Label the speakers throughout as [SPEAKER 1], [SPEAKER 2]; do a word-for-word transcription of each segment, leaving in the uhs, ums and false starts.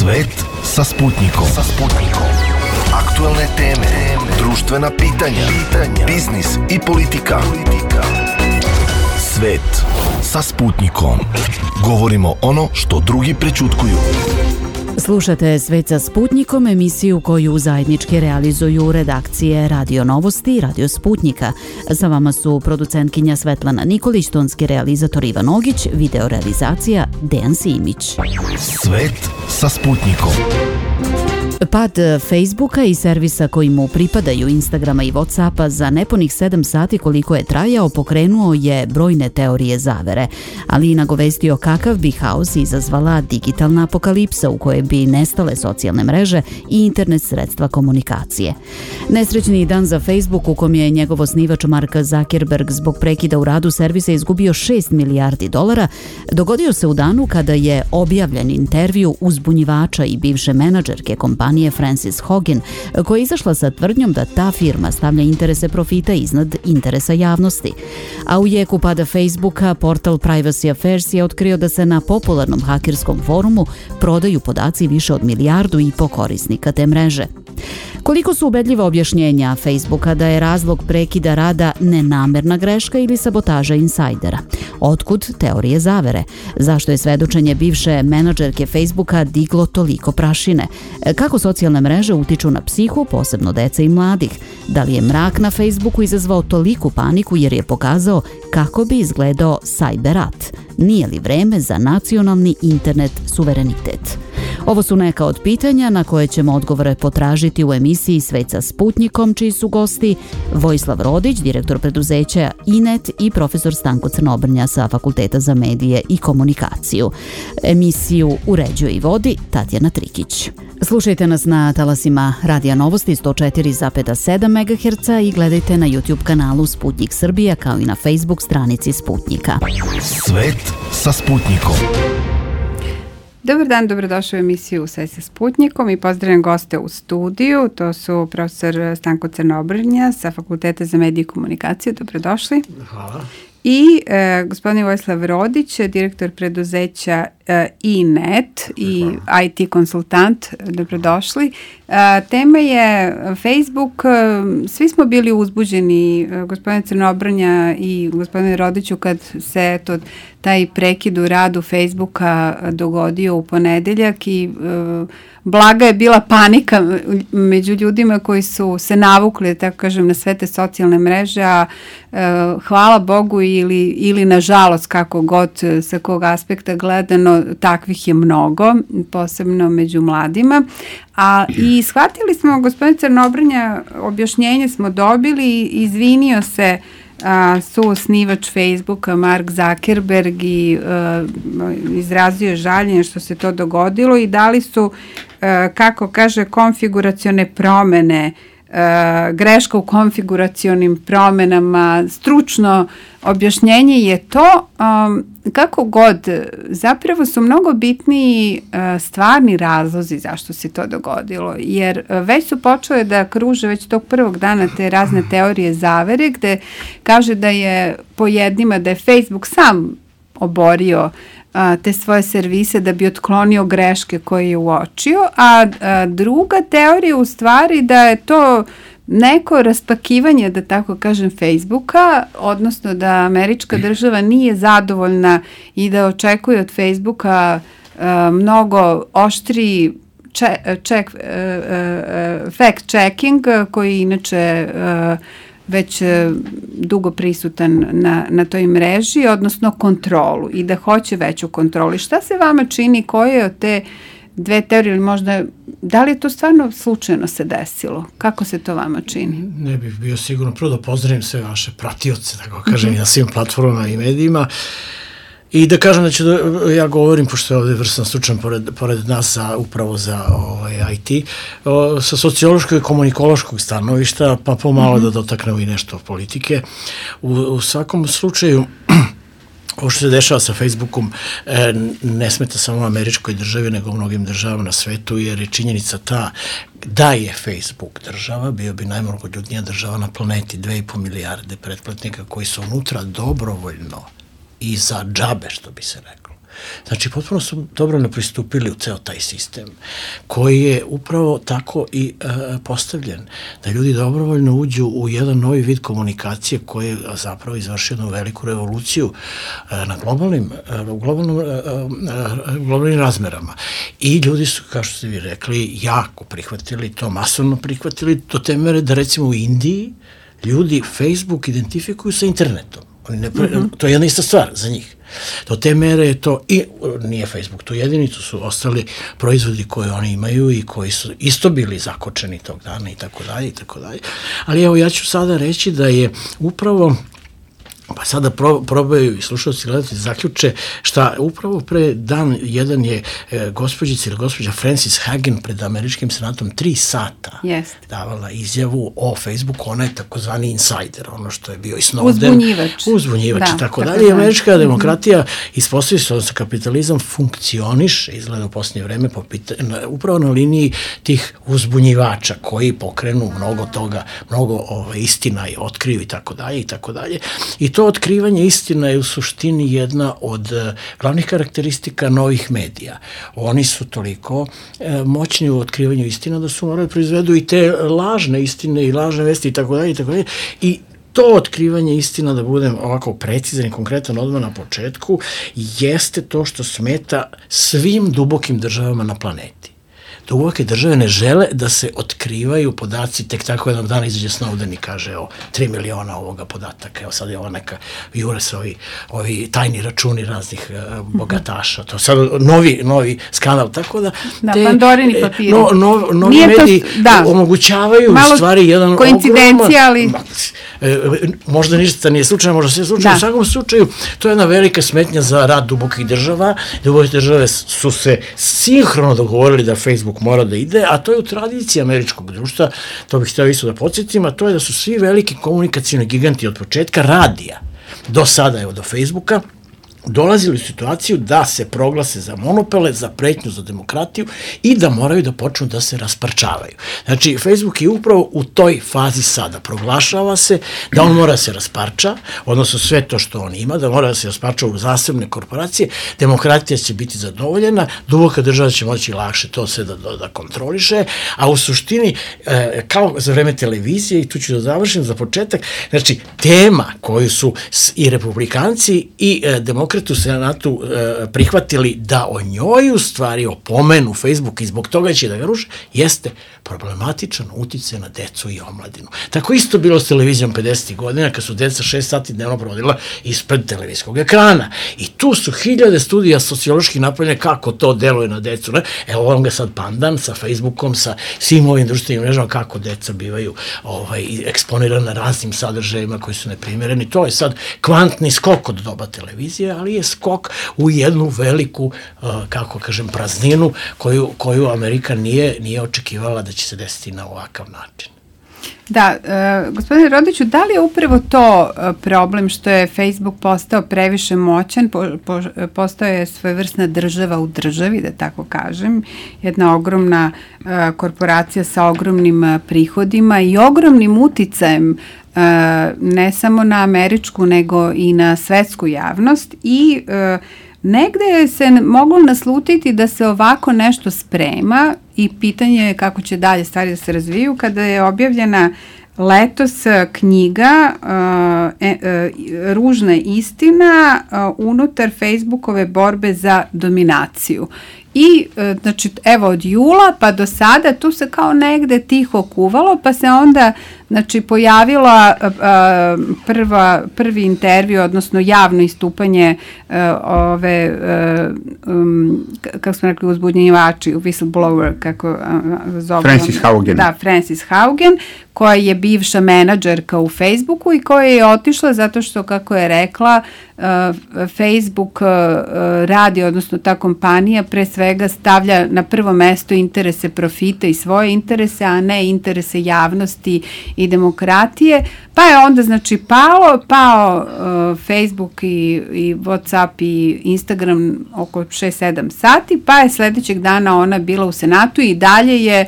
[SPEAKER 1] Svet sa Sputnikom. Sa Sputnikom. Aktuelne teme, društvena pitanja, pitanja, biznis i politika. politika. Svet sa Sputnikom. Govorimo ono što drugi prećutkuju.
[SPEAKER 2] Slušate Svet sa Sputnikom, emisiju koju zajednički realizuju redakcije Radio Novosti i Radio Sputnika. Sa vama su producentkinja Svetlana Nikolić, tonski realizator Ivan Ogić, videorealizacija Dejan Simić.
[SPEAKER 1] Svet sa Sputnikom.
[SPEAKER 2] Pad Facebooka i servisa koji mu pripadaju, Instagrama i Whatsappa, za nepunih sedam sati koliko je trajao, pokrenuo je brojne teorije zavere, ali i nagovestio kakav bi haos izazvala digitalna apokalipsa u kojoj bi nestale socijalne mreže i internet sredstva komunikacije. Nesrećni dan za Facebook, u kom je njegov osnivač Mark Zuckerberg zbog prekida u radu servisa izgubio šest milijardi dolara, dogodio se u danu kada je objavljen intervju uzbunjivača i bivše menadžerke kompanije Frances Haugen, koja je izašla sa tvrdnjom da ta firma stavlja interese profita iznad interesa javnosti. A u jeku pada Facebooka, portal Privacy Affairs je otkrio da se na popularnom hakerskom forumu prodaju podaci više od milijardu i po korisnika te mreže. Koliko su ubedljiva objašnjenja Facebooka da je razlog prekida rada nenamerna greška ili sabotaža insajdera? Otkud teorije zavere? Zašto je svedočenje bivše menadžerke Facebooka diglo toliko prašine? Kako socijalne mreže utiču na psihu, posebno dece i mladih? Da li je mrak na Facebooku izazvao toliku paniku jer je pokazao kako bi izgledao cyber rat? Nije li vreme za nacionalni internet suverenitet? Ovo su neka od pitanja na koje ćemo odgovore potražiti u emisiji Svet sa Sputnikom, čiji su gosti Vojislav Rodić, direktor preduzeća Inet, i profesor Stanko Crnobrnja sa Fakulteta za medije i komunikaciju. Emisiju uređuje i vodi Tatjana Trikić. Slušajte nas na talasima Radija Novosti sto četiri zarez sedam megaherca i gledajte na YouTube kanalu Sputnik Srbija, kao i na Facebook stranici Sputnika.
[SPEAKER 1] Svet sa Sputnikom.
[SPEAKER 3] Dobar dan, dobrodošli u emisiju Sve sa Sputnikom i pozdravljam goste u studiju. To su profesor Stanko Crnobrnja sa Fakulteta za medije i komunikaciju. Dobrodošli.
[SPEAKER 4] Hvala.
[SPEAKER 3] I e, gospodin Vojislav Rodić, direktor preduzeća e, Inet i I T konsultant. Dobrodošli. E, tema je Facebook. Svi smo bili uzbuđeni, gospodin Crnobrnja i gospodin Rodiću, kad se to, taj prekid u radu Facebooka dogodio u ponedeljak i e, blaga je bila panika među ljudima koji su se navukli, tako kažem, na sve te socijalne mreže, a e, hvala Bogu ili, ili nažalost, kako god sa kog aspekta gledano, takvih je mnogo, posebno među mladima. A i shvatili smo, gospodin Crnobrnja, objašnjenje smo dobili i izvinio se a, suosnivač Facebooka Mark Zuckerberg i a, izrazio žaljenje što se to dogodilo i dali su, a, kako kaže, konfiguracione promene, a, greška u konfiguracionim promenama, stručno objašnjenje je to. A, kako god, zapravo su mnogo bitniji a, stvarni razlozi zašto se to dogodilo, jer a, već su počele da kruže već tog prvog dana te razne teorije zavere, gde kaže da je po jednima da je Facebook sam oborio a, te svoje servise da bi otklonio greške koje je uočio, a, a druga teorija u stvari da je to neko raspakivanje, da tako kažem, Facebooka, odnosno da američka država nije zadovoljna i da očekuje od Facebooka uh, mnogo oštri check, check, uh, uh, fact checking, koji inače uh, već uh, dugo prisutan na, na toj mreži, odnosno kontrolu, i da hoće veću kontrolu. I šta se vama čini, koje od te dve teorije, ili možda, da li je to stvarno slučajno se desilo? Kako se to vama čini?
[SPEAKER 4] Ne bih bio sigurno. Prvo da pozdravim sve vaše pratioce, tako kažem, mm-hmm. na svim platformama i medijima. I da kažem da ću, da, ja govorim, pošto je ovdje vrstan stručan pored, pored nas za, upravo za ovaj, I T, o, sa sociološkog i komunikološkog stanovišta, pa pomalo mm-hmm. da dotaknemo i nešto politike. U, u svakom slučaju, ovo što se dešava sa Facebookom e, ne smeta samo američkoj državi, nego mnogim državama na svetu, jer je činjenica ta da je Facebook država, bio bi najmnogoljudnija država na planeti, dve i po milijarde pretplatnika koji su unutra dobrovoljno i za džabe, što bi se reklo. Znači, potpuno su dobro ne pristupili u ceo taj sistem, koji je upravo tako i e, postavljen, da ljudi dobrovoljno uđu u jedan novi vid komunikacije koji je zapravo izvršio jednu veliku revoluciju e, na globalnim, e, u globalnom, e, e, globalnim razmerama. I ljudi su, kao što ste vi rekli, jako prihvatili to, masovno prihvatili do te mere da recimo u Indiji ljudi Facebook identifikuju sa internetom. Oni ne, mm-hmm. To je jedna ista stvar za njih. Do te mere je to, i nije Facebook tu jedini, tu su ostali proizvodi koje oni imaju i koji su isto bili zakočeni tog dana i tako dalje i tako dalje. Ali evo, ja ću sada reći da je upravo, pa sada pro, probaju i slušalci gledati zaključe, šta upravo pre dan jedan je e, gospođica ili gospođa Frances Haugen pred američkim senatom tri sata
[SPEAKER 3] Yes.
[SPEAKER 4] davala izjavu o Facebooku, ona je takozvani insider, ono što je bio i Snowden.
[SPEAKER 3] Uzbunjivač.
[SPEAKER 4] Uzbunjivač
[SPEAKER 3] da,
[SPEAKER 4] i tako dalje. I američka demokratija ispostavlja se, odnosno kapitalizam funkcioniše, izgleda u posljednje vreme, po pita, na, upravo na liniji tih uzbunjivača koji pokrenu mnogo toga, mnogo ove, istina i otkriju i tako dalje i tako dalje. I to otkrivanje istina je u suštini jedna od uh, glavnih karakteristika novih medija. Oni su toliko uh, moćni u otkrivanju istina da su morali proizvedu i te lažne istine i lažne vesti i tako dalje i tako dalje. I to otkrivanje istina, da budem ovako precizan i konkretan odmah na početku, jeste to što smeta svim dubokim državama na planeti. Duboke države ne žele da se otkrivaju podaci, tek tako jednog dana izađe Snowden i kaže, evo, tri miliona ovoga podataka, evo sad je ovo neka, jure se ovi, ovi tajni računi raznih uh, bogataša, to sad novi, novi skandal, tako da...
[SPEAKER 3] Da,
[SPEAKER 4] te,
[SPEAKER 3] Pandorini papiri.
[SPEAKER 4] No, no, novi
[SPEAKER 3] Nije
[SPEAKER 4] mediji
[SPEAKER 3] to, da.
[SPEAKER 4] omogućavaju malo u stvari jedan
[SPEAKER 3] koincidencija, ali...
[SPEAKER 4] E, možda ništa nije slučajno, možda sve slučajno, da. U svakom slučaju, to je jedna velika smetnja za rad dubokih država. Duboke države su se sinhrono dogovorili da Facebook mora da ide, a to je u tradiciji američkog društva, to bih htio isto da podsjetim, a to je da su svi veliki komunikacijni giganti od početka radija do sada, evo do Facebooka, dolazili u situaciju da se proglase za monopole, za pretnju za demokratiju i da moraju da počnu da se rasparčavaju. Znači, Facebook je upravo u toj fazi sada. Proglašava se da on mora da se rasparča, odnosno sve to što on ima, da mora da se rasparča u zasebne korporacije, demokratija će biti zadovoljena, duboka država će moći lakše to sve da, da, da kontroliše, a u suštini, e, kao za vreme televizije, i tu ću da završim za početak, znači, tema koju su i republikanci i e, demokrati u Senatu e, prihvatili da o njoj u stvari opomenu Facebook i zbog toga će da ga ruše, jeste problematičan uticaj na decu i omladinu. Tako isto bilo s televizijom pedesetih godina, kad su deca šest sati dnevno provodila ispred televizijskog ekrana. I tu su hiljade studija socioloških napravljene kako to deluje na decu. Ne? Evo on ga sad pandan sa Facebookom, sa svim ovim društvenim mrežama, kako deca bivaju ovaj, eksponirane raznim sadržajima koji su neprimjereni. To je sad kvantni skok od doba televizije, ali je skok u jednu veliku, uh, kako kažem, prazninu koju, koju Amerika nije, nije očekivala da će se desiti na ovakav način.
[SPEAKER 3] Da, e, gospodine Rodiću, da li je upravo to problem što je Facebook postao previše moćan, po, po, postao je svojevrsna država u državi, da tako kažem, jedna ogromna e, korporacija sa ogromnim e, prihodima i ogromnim uticajem e, ne samo na američku, nego i na svetsku javnost i e, negde se moglo naslutiti da se ovako nešto sprema i pitanje je kako će dalje stvari da se razviju kada je objavljena letos knjiga uh, e, uh, Ružna istina uh, unutar Facebookove borbe za dominaciju. I, uh, znači, evo od jula pa do sada tu se kao negde tiho kuvalo, pa se onda, znači, pojavila uh, prva, prvi intervju, odnosno javno istupanje uh, ove, uh, um, kako smo rekli, uzbunjivači, whistleblower, kako uh, zove.
[SPEAKER 5] Frances Haugen.
[SPEAKER 3] Da, Frances Haugen, koja je bivša menadžerka u Facebooku i koja je otišla zato što, kako je rekla, uh, Facebook uh, radi, odnosno ta kompanija pre svega stavlja na prvo mesto interese profita i svoje interese, a ne interese javnosti i demokratije, pa je onda, znači, palo, pao uh, Facebook i, i WhatsApp i Instagram oko šest sedam sati, pa je sledećeg dana ona bila u Senatu i dalje je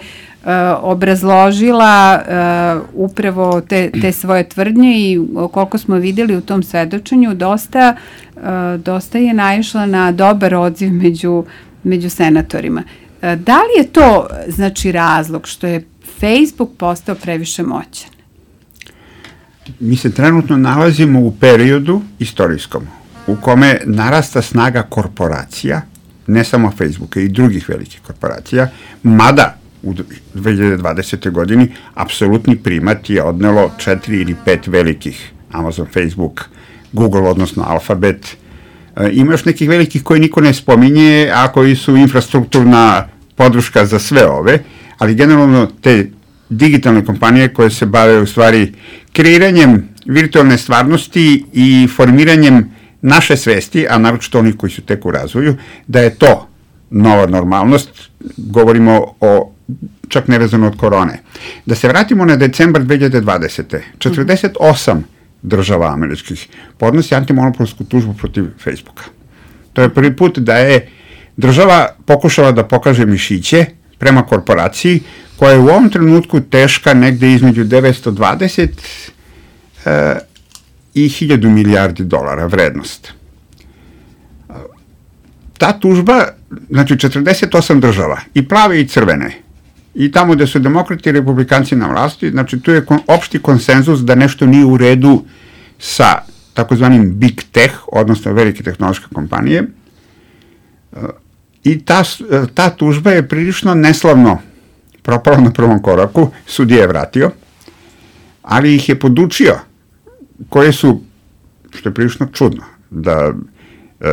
[SPEAKER 3] obrazložila uh, upravo te, te svoje tvrdnje i koliko smo videli u tom svedočenju, dosta, uh, dosta je naišla na dobar odziv među, među senatorima. Uh, da li je to, znači, razlog što je Facebook postao previše moćan?
[SPEAKER 5] Mi se trenutno nalazimo u periodu istorijskom u kome narasta snaga korporacija, ne samo Facebooka i drugih velikih korporacija, mada u dve hiljade dvadesete godini apsolutni primat je odnelo četiri ili pet velikih, Amazon, Facebook, Google, odnosno Alphabet. E, ima još nekih velikih koji niko ne spominje, a koji su infrastrukturna podrška za sve ove, ali generalno te digitalne kompanije koje se bave u stvari kreiranjem virtualne stvarnosti i formiranjem naše svesti, a naročito oni koji su tek u razvoju, da je to nova normalnost, govorimo o čak nevezano od korone. Da se vratimo na decembar dve hiljade dvadesete. četrdeset osam država američkih podnosi antimonopolsku tužbu protiv Facebooka. To je prvi put da je država pokušala da pokaže mišiće prema korporaciji koja je u ovom trenutku teška negde između devetsto dvadeset e, i hiljadu milijardi dolara vrednost. Ta tužba, znači četrdeset osam država, i plave i crvene, i tamo gde su demokrati i republikanci na vlasti, znači tu je kon, opšti konsenzus da nešto nije u redu sa takozvanim big tech, odnosno velike tehnološke kompanije, i ta, ta tužba je prilično neslavno propala na prvom koraku, sudija je vratio, ali ih je podučio koje su, što je prilično čudno, da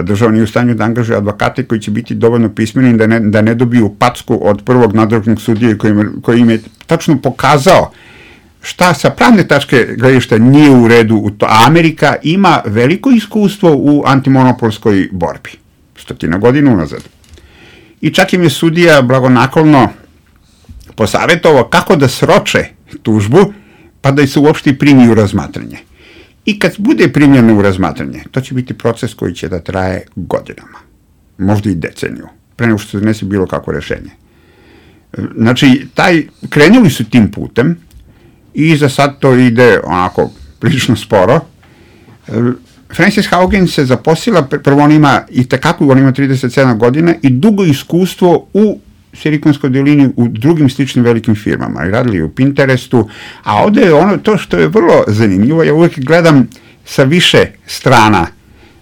[SPEAKER 5] država nije u stanju da angažuje advokate koji će biti dovoljno pismeni da ne, da ne dobiju packu od prvog nadležnog sudije koji, koji im je tačno pokazao šta sa pravne tačke gledišta nije u redu u to. A Amerika ima veliko iskustvo u antimonopolskoj borbi, stotina godina unazad. I čak im je sudija blagonaklonno posavjetovao kako da sroče tužbu, pa da se uopšte primi u razmatranje. I kad bude primljeno u razmatranje, to će biti proces koji će da traje godinama, možda i deceniju, pre nego što se donese bilo kako rešenje. Znači, taj, krenuli su tim putem i za sad to ide onako prilično sporo. Frances Haugen se zaposlila, prvo on ima i tekako, on ima trideset sedam godina i dugo iskustvo u Silikonskoj dolini u drugim sličnim velikim firmama i radili u Pinterestu, a ovde je ono to što je vrlo zanimljivo, ja uvek gledam sa više strana.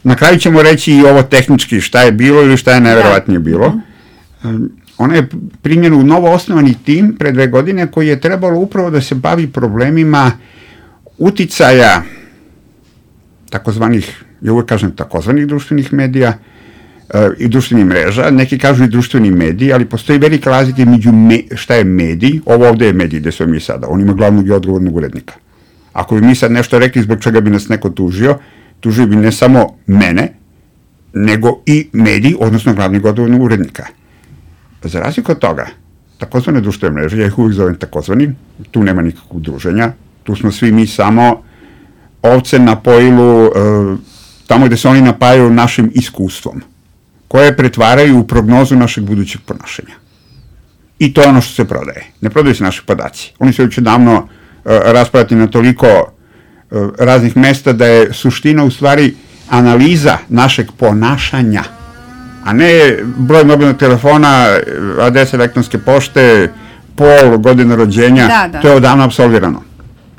[SPEAKER 5] Na kraju ćemo reći i ovo tehnički šta je bilo ili šta je najverovatnije bilo. Ona je primljena u novo osnovani tim pre dve godine koji je trebalo upravo da se bavi problemima uticaja takozvanih, ja uvek kažem takozvanih društvenih medija, i društvenih mreža, neki kažu i društveni mediji, ali postoji velika razlika među me, šta je medij, ovo ovde je medij gde smo mi sada, on ima glavnog i odgovornog urednika. Ako bi mi sad nešto rekli zbog čega bi nas neko tužio, tužio bi ne samo mene, nego i medij, odnosno glavnog odgovornog urednika. Za razliku od toga, takozvane društvene mreže, ja ih uvijek zovem takozvani, tu nema nikakvog druženja, tu smo svi mi samo ovce na pojilu, tamo gde se oni napajaju našim iskustvom, koje pretvaraju u prognozu našeg budućeg ponašanja. I to je ono što se prodaje. Ne prodaju se naši podaci. Oni su već davno uh, raspravati na toliko uh, raznih mesta da je suština u stvari analiza našeg ponašanja, a ne broj mobilnog telefona, adresa elektronske pošte, pol, godina rođenja. Da, da. To je odavno apsolvirano.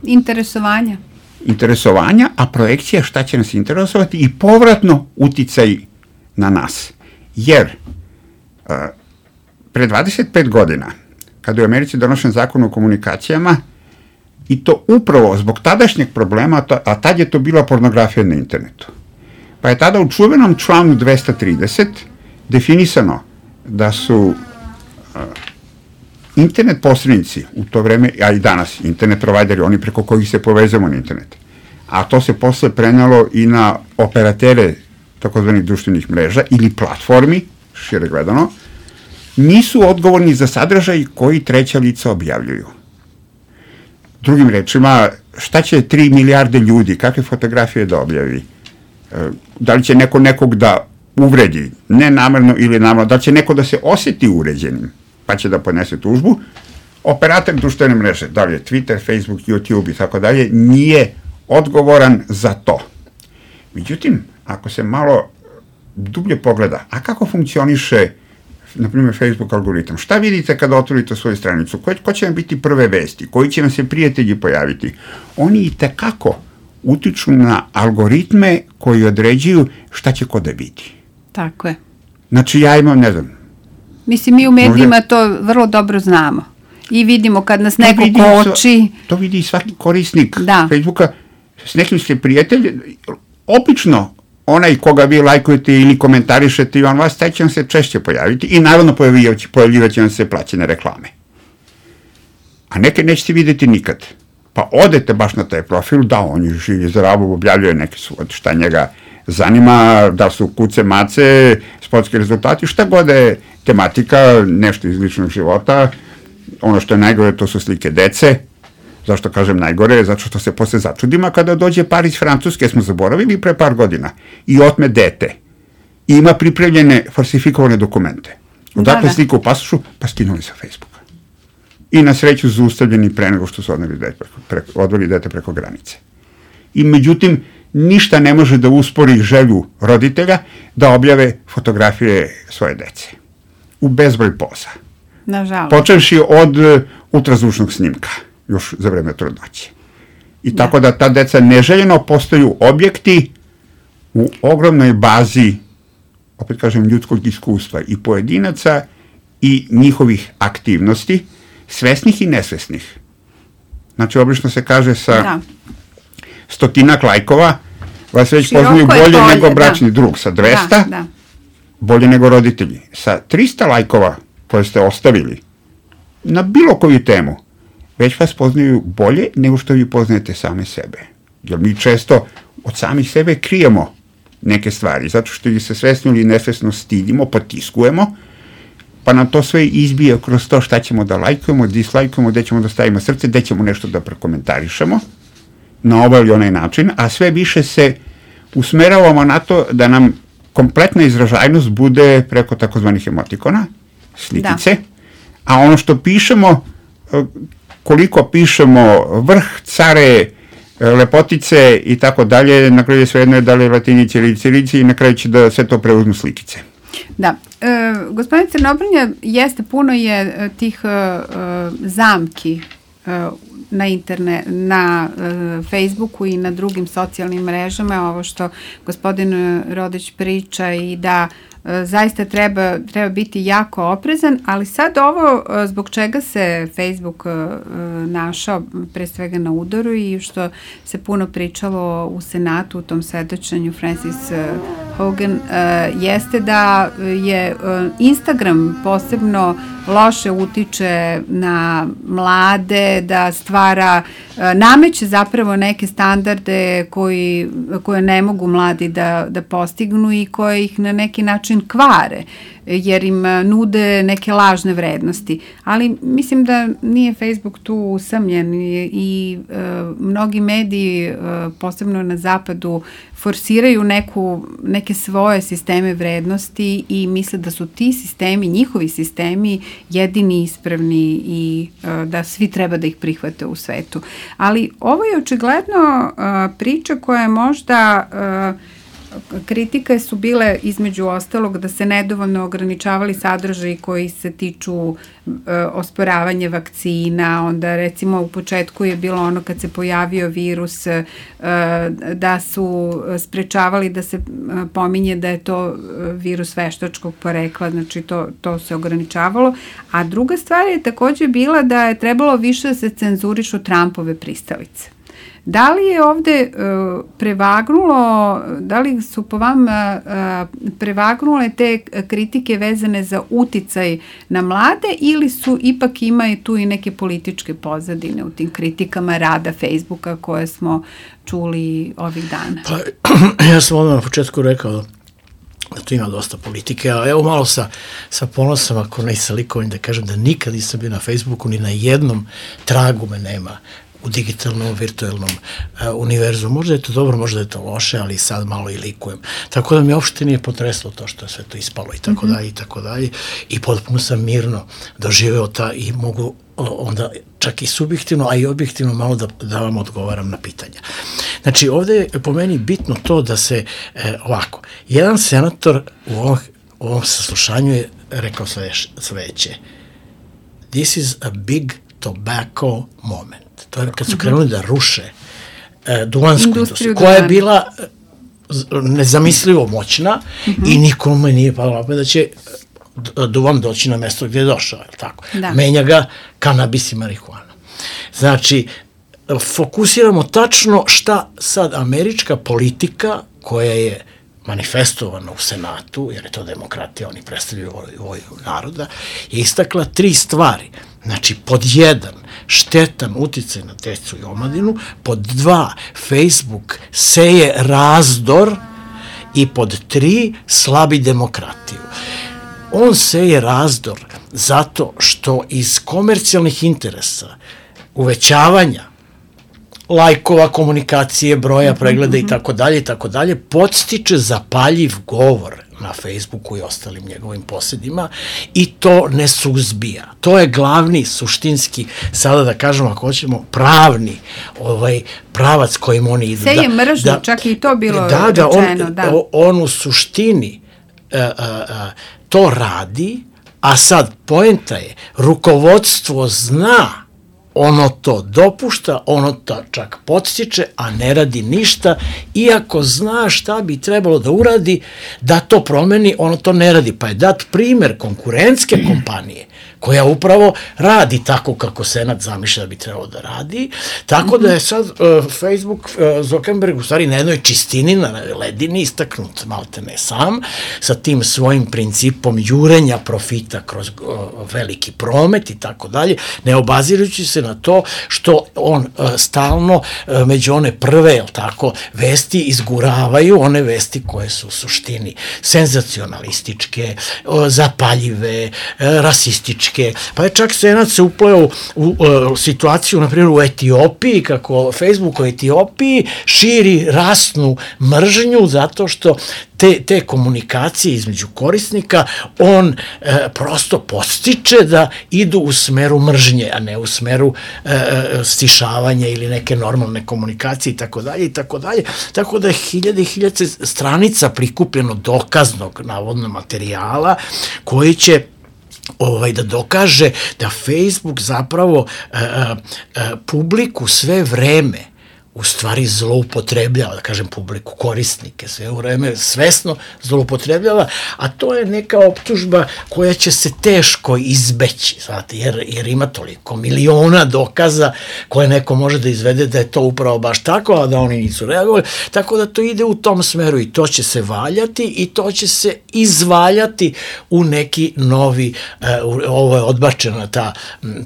[SPEAKER 3] Interesovanja.
[SPEAKER 5] Interesovanja, a projekcija šta će nas interesovati i povratno uticaj na nas. Jer uh, pre dvadeset pet godina, kada je u Americi donošen zakon o komunikacijama, i to upravo zbog tadašnjeg problema, a tad je to bila pornografija na internetu. Pa je tada u čuvenom članu dvesta trideset definisano da su uh, internet posrednici u to vreme, a i danas, internet provajderi, oni preko kojih se povezamo na internet, a to se posle prenelo i na operatere takozvanih društvenih mreža ili platformi, šire gledano, nisu odgovorni za sadržaj koji treća lica objavljuju. Drugim rečima, šta će tri milijarde ljudi, kakve fotografije da objavi? Da li će neko nekog da uvredi, ne namerno ili namerno, da li će neko da se oseti uređenim, pa će da podnese tužbu, operator društvene mreže, da li je Twitter, Facebook, YouTube i tako dalje, nije odgovoran za to. Međutim, ako se malo dublje pogleda, a kako funkcioniše, na primjer, Facebook algoritam, šta vidite kada otvorite svoju stranicu, ko, ko će vam biti prve vesti, koji će vam se prijatelji pojaviti, oni i tekako utiču na algoritme koji određuju šta će ko da vidi.
[SPEAKER 3] Tako je.
[SPEAKER 5] Znači, ja imam, ne znam...
[SPEAKER 3] Mislim, mi u medijima možda, to vrlo dobro znamo. I vidimo kad nas neko koči...
[SPEAKER 5] To vidi i svaki korisnik
[SPEAKER 3] da.
[SPEAKER 5] Facebooka. S nekim ste prijatelji, obično onaj koga vi lajkujete ili komentarišete i on vas, taj će vam se češće pojaviti i naravno pojavljivat će vam se plaćene reklame. A neke nećete vidjeti nikad. Pa odete baš na taj profil, da, on je živi zdravo, objavljuje neke svoj, šta njega zanima, da su kuce, mace, sportski rezultati, šta god je tematika, nešto iz ličnog života. Ono što je najgore, to su slike dece. Zašto kažem najgore? Zato što se posle začudima kada dođe par iz Francuske, smo zaboravili pre par godina, i otme dete. I ima pripremljene falsifikovane dokumente. Odakle da, da. Slika u pasošu, pa skinuli sa Facebooka. I na sreću zaustavljeni pre nego što su odveli dete preko, preko, odveli dete preko granice. I međutim, ništa ne može da uspori želju roditelja da objave fotografije svoje dece. U bezbroj poza.
[SPEAKER 3] Nažalost.
[SPEAKER 5] Počevši od uh, ultrazvučnog snimka, još za vreme trudnoće. I tako da ta deca neželjeno postaju objekti u ogromnoj bazi, opet kažem, ljudskog iskustva i pojedinaca i njihovih aktivnosti, svesnih i nesvesnih. Znači, obično se kaže sa da. stotinak lajkova, vas već široko poznaju bolje bolje nego bračni da. drug. Sa dvesta, da, da. bolje nego roditelji. Sa trista lajkova koje ste ostavili na bilo koju temu, već vas poznaju bolje nego što vi poznajete same sebe. Jer mi često od samih sebe krijemo neke stvari, zato što ih se svesno ili nesvesno stidimo, potiskujemo, pa nam to sve izbije kroz to šta ćemo da lajkujemo, dislajkujemo, gde ćemo da stavimo srce, gde ćemo nešto da prekomentarišemo na ovaj ili onaj način, a sve više se usmeravamo na to da nam kompletna izražajnost bude preko takozvanih emotikona, slikice, da. A ono što pišemo, koliko pišemo vrh, care, lepotice i tako dalje, na kraju je svejedno je da li je latinici ili cirici i na kraju će da sve to preuzmu slikice.
[SPEAKER 3] Da, e, gospodin Crnobrnja, jeste, puno je tih e, zamki e, na internet, na e, Facebooku i na drugim socijalnim mrežama, ovo što gospodin Rodić priča i da e, zaista treba, treba biti jako oprezan, ali sad ovo e, zbog čega se Facebook e, našao pre svega na udaru i što se puno pričalo u Senatu u tom svedočenju Francis Hogan e, jeste da je e, Instagram posebno loše utiče na mlade, da stvara, nameće zapravo neke standarde koji, koje ne mogu mladi da, da postignu i koje ih na neki način kvare, jer im nude neke lažne vrednosti. Ali mislim da nije Facebook tu usamljen i, i e, mnogi mediji, e, posebno na zapadu, forsiraju neku, neke svoje sisteme vrednosti i misle da su ti sistemi, njihovi sistemi, jedini ispravni i e, da svi treba da ih prihvate u svetu. Ali ovo je očigledno e, priča koja je možda... E, kritike su bile između ostalog da se nedovoljno ograničavali sadržaji koji se tiču e, osporavanja vakcina, onda recimo u početku je bilo ono kad se pojavio virus e, da su sprečavali da se pominje da je to virus veštačkog porekla, znači to, to se ograničavalo, a druga stvar je takođe bila da je trebalo više da se cenzurišu Trumpove pristalice. Da li je ovde uh, prevagnulo, da li su po vama uh, prevagnule te kritike vezane za uticaj na mlade ili su ipak imaju tu i neke političke pozadine u tim kritikama rada Facebooka koje smo čuli ovih dana?
[SPEAKER 4] Pa, ja sam odmah na početku rekao da tu ima dosta politike, a evo malo sa, sa ponosom, ako ne sa likovim, da kažem da nikad nisam bio na Facebooku, ni na jednom tragu me nema u digitalnom, virtualnom uh, univerzu. Možda je to dobro, možda je to loše, ali sad malo i likujem. Tako da mi uopšte nije potreslo to što je sve to ispalo i tako dalje i tako dalje. I potpuno sam mirno doživeo ta i mogu onda čak i subjektivno, a i objektivno malo da, da vam odgovaram na pitanja. Znači, ovde je po meni bitno to da se, e, ovako, jedan senator u ovom, u ovom saslušanju je rekao sledeće: this is a big tobacco moment. To je kad su krenuli da ruše e, duvansku industriju, koja je bila nezamislivo moćna mm-hmm. i nikome nije palo da će duvan doći na mesto gdje je došao, je tako? Da. Menja ga kanabis i marihuana. Znači, fokusiramo tačno šta sad američka politika, koja je manifestovana u Senatu, jer je to demokratija, oni predstavljaju ovoj naroda, je istakla tri stvari. Znači, pod jedan, štetan uticaj na decu i omladinu, pod dva, Facebook seje razdor i pod tri, slabi demokratiju. On seje razdor zato što iz komercijalnih interesa, uvećavanja lajkova, komunikacije, broja, pregleda i tako dalje i tako dalje, podstiče zapaljiv govor na Facebooku i ostalim njegovim posljedima i to ne suzbija. To je glavni, suštinski, sada da kažemo, ako hoćemo, pravni ovaj pravac kojim oni idu.
[SPEAKER 3] Seje mržnju, da, čak i to bilo
[SPEAKER 4] da, da,
[SPEAKER 3] rečeno.
[SPEAKER 4] On,
[SPEAKER 3] da,
[SPEAKER 4] on u suštini a, a, a, to radi, a sad poenta je, rukovodstvo zna, ono to dopušta, ono to čak podstiče, a ne radi ništa, iako zna šta bi trebalo da uradi, da to promeni, ono to ne radi. Pa je dat primer konkurentske kompanije, koja upravo radi tako kako Senat zamišlja da bi trebalo da radi, tako da je sad uh, Facebook, uh, Zuckerberg u stvari na jednoj čistini, na ledini istaknut malte ne sam, sa tim svojim principom jurenja profita kroz uh, veliki promet i tako dalje, ne obazirujući se na to što on uh, stalno uh, među one prve, jel tako, vesti izguravaju, one vesti koje su u suštini senzacionalističke, uh, zapaljive, uh, rasističke, pa je čak Senat se upleo u, u, u situaciju, na primjer, u Etiopiji, kako Facebook u Etiopiji širi rasnu mržnju zato što te, te komunikacije između korisnika on e, prosto podstiče da idu u smeru mržnje, a ne u smeru e, stišavanja ili neke normalne komunikacije i tako dalje i tako dalje. Tako da je hiljade i hiljade stranica prikupljeno dokaznog navodno materijala koji će ovaj, da dokaže da Facebook zapravo a, a, a, publiku sve vreme u stvari zloupotrebljava, da kažem publiku, korisnike, sve u vreme svesno zloupotrebljava, a to je neka optužba koja će se teško izbeći, znate, jer, jer ima toliko miliona dokaza koje neko može da izvede da je to upravo baš tako, a da oni nisu reagovali, tako da to ide u tom smeru i to će se valjati i to će se izvaljati u neki novi, uh, ovo je odbačena ta,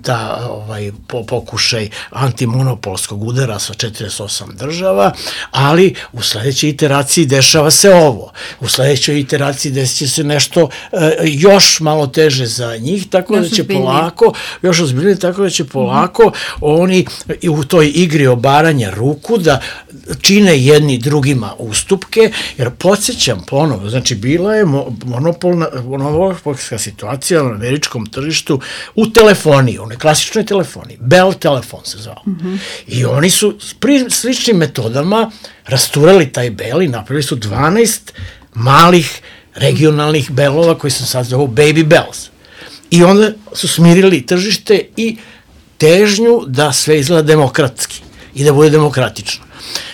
[SPEAKER 4] ta ovaj, pokušaj antimonopolskog udara sa četrdeset osam država, ali u sledećoj iteraciji dešava se ovo. U sledećoj iteraciji desit će se nešto e, još malo teže za njih, tako još da će ozbiljnije. polako, još ozbiljnije, tako da će polako mm-hmm. oni u toj igri obaranja ruku da čine jedni drugima ustupke, jer podsjećam ponovo, znači bila je monopolna, monopolska situacija na američkom tržištu u telefoniji, onoj klasičnoj telefoniji, Bell telefon se zvao. Mm-hmm. I oni su pri sličnim metodama rasturali taj Bell i napravili su dvanaest malih regionalnih Bellova koji se sad zovu Baby Bells. I onda su smirili tržište i težnju da sve izgleda demokratski i da bude demokratično.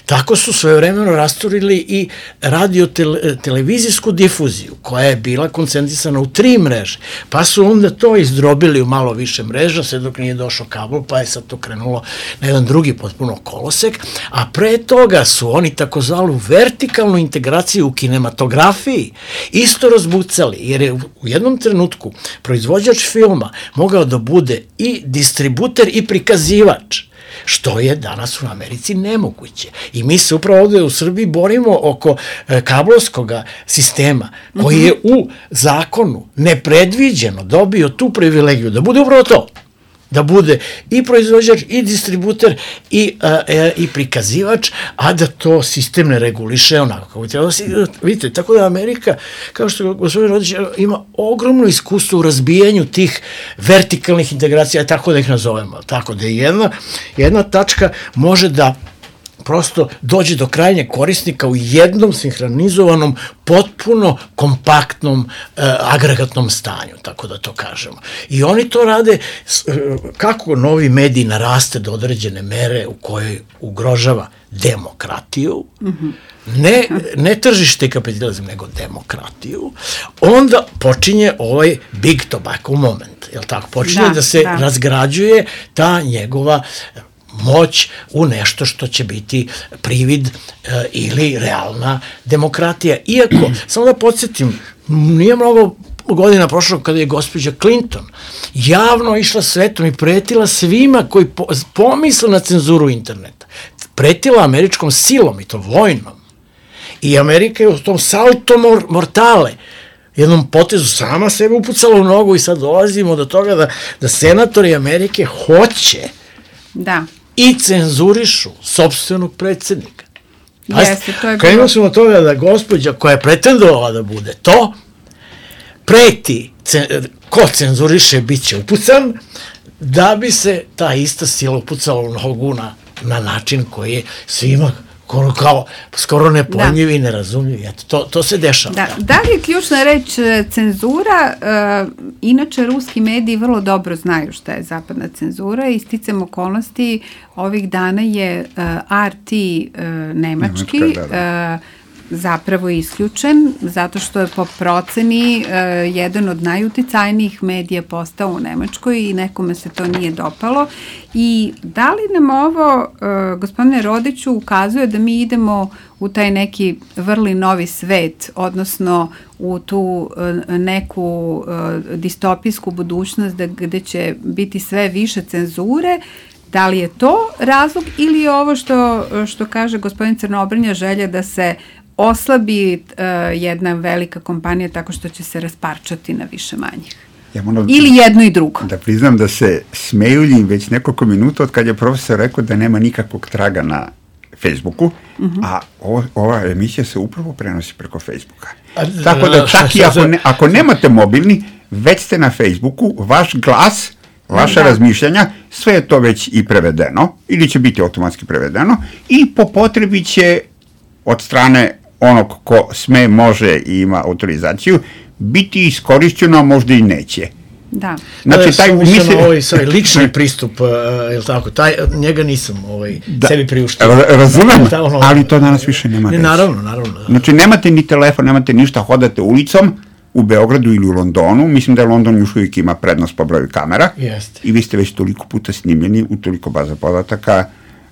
[SPEAKER 4] Tako su svojevremeno rasturili i radio-televizijsku difuziju, koja je bila koncentrisana u tri mreže, pa su onda to izdrobili u malo više mreža, sve dok nije došao kabel, pa je sad to krenulo na jedan drugi potpuno kolosek, a pre toga su oni takozvanu vertikalnu integraciju u kinematografiji isto razbucali, jer je u jednom trenutku proizvođač filma mogao da bude i distributer i prikazivač, što je danas u Americi nemoguće. I mi se upravo ovde u Srbiji borimo oko e, kablovskog sistema, koji je u zakonu nepredviđeno dobio tu privilegiju da bude upravo to. da bude i proizvođač, i distributer, i, a, e, i prikazivač, a da to sistem ne reguliše onako kako treba. Vidite, tako da Amerika, kao što gospodin Rodić, ima ogromno iskustvo u razbijanju tih vertikalnih integracija, tako da ih nazovemo. Tako da jedna, jedna tačka može da prosto dođe do krajnjeg korisnika u jednom sinhronizovanom, potpuno kompaktnom, e, agregatnom stanju, tako da to kažemo. I oni to rade, kako novi medij naraste do određene mere u kojoj ugrožava demokratiju, mm-hmm. ne, ne tržište i kapitalizam, nego demokratiju, onda počinje ovaj big tobacco moment, jel tako? Počinje da, da se da. razgrađuje ta njegova moć u nešto što će biti privid e, ili realna demokratija. Iako, samo da podsjetim, nije mnogo godina prošlo kada je gospođa Clinton javno išla svetom i pretila svima koji po, pomisle na cenzuru interneta. Pretila američkom silom, i to vojnom. I Amerika je u tom salto mortale, jednom potezu sama sebe upucala u nogu i sad dolazimo do toga da, da senatori Amerike hoće
[SPEAKER 3] da
[SPEAKER 4] i cenzurišu sopstvenog predsjednika.
[SPEAKER 3] Jeste, to je bilo.
[SPEAKER 4] Krenuli smo od toga da gospođa koja je pretendovala da bude to, preti, ko cenzuriše bit će upucan, da bi se ta ista sila upucala u nogu na, na način koji je svima kao, kao skoro nepojmljiv i nerazumljiv. Eto, to, to se dešava.
[SPEAKER 3] Da, da li je ključna reč cenzura? Uh, inače, ruski mediji vrlo dobro znaju šta je zapadna cenzura i sticam okolnosti ovih dana je uh, R T uh, nemački Nemačka, da, da. Uh, zapravo isključen, zato što je po proceni uh, jedan od najuticajnijih medija postao u Nemačkoj i nekome se to nije dopalo. I da li nam ovo, uh, gospodine Rodiću, ukazuje da mi idemo u taj neki vrli novi svet, odnosno u tu uh, neku uh, distopijsku budućnost da, gde će biti sve više cenzure? Da li je to razlog ili je ovo što, što kaže gospodin Crnobrnja želja da se oslabi uh, jedna velika kompanija tako što će se rasparčati na više manjih? Ja moram, ili jedno i drugo?
[SPEAKER 5] Da priznam da se smejuljim već nekoliko minuta od kad je profesor rekao da nema nikakvog traga na Facebooku, uh-huh. a ovo, ova emisija se upravo prenosi preko Facebooka. A, tako da čak i ako, ne, ako nemate mobilni, već ste na Facebooku, vaš glas, vaša da. razmišljanja, sve je to već i prevedeno, ili će biti automatski prevedeno, i po potrebi će od strane onog ko sme, može i ima autorizaciju, biti iskorišćeno, a možda i neće.
[SPEAKER 3] Da.
[SPEAKER 4] Znači, taj misli... ovaj, svoj lični pristup, uh, je li tako, taj, njega nisam ovaj, da, sebi priuštio.
[SPEAKER 5] Razumem, da, ono, ali to danas više nema.
[SPEAKER 4] Ne, naravno, naravno. Da.
[SPEAKER 5] Znači, nemate ni telefon, nemate ništa, hodate ulicom, u Beogradu ili u Londonu, mislim da je London još uvijek ima prednost po broju kamera,
[SPEAKER 4] Jeste.
[SPEAKER 5] I vi ste već toliko puta snimljeni u toliko baza podataka,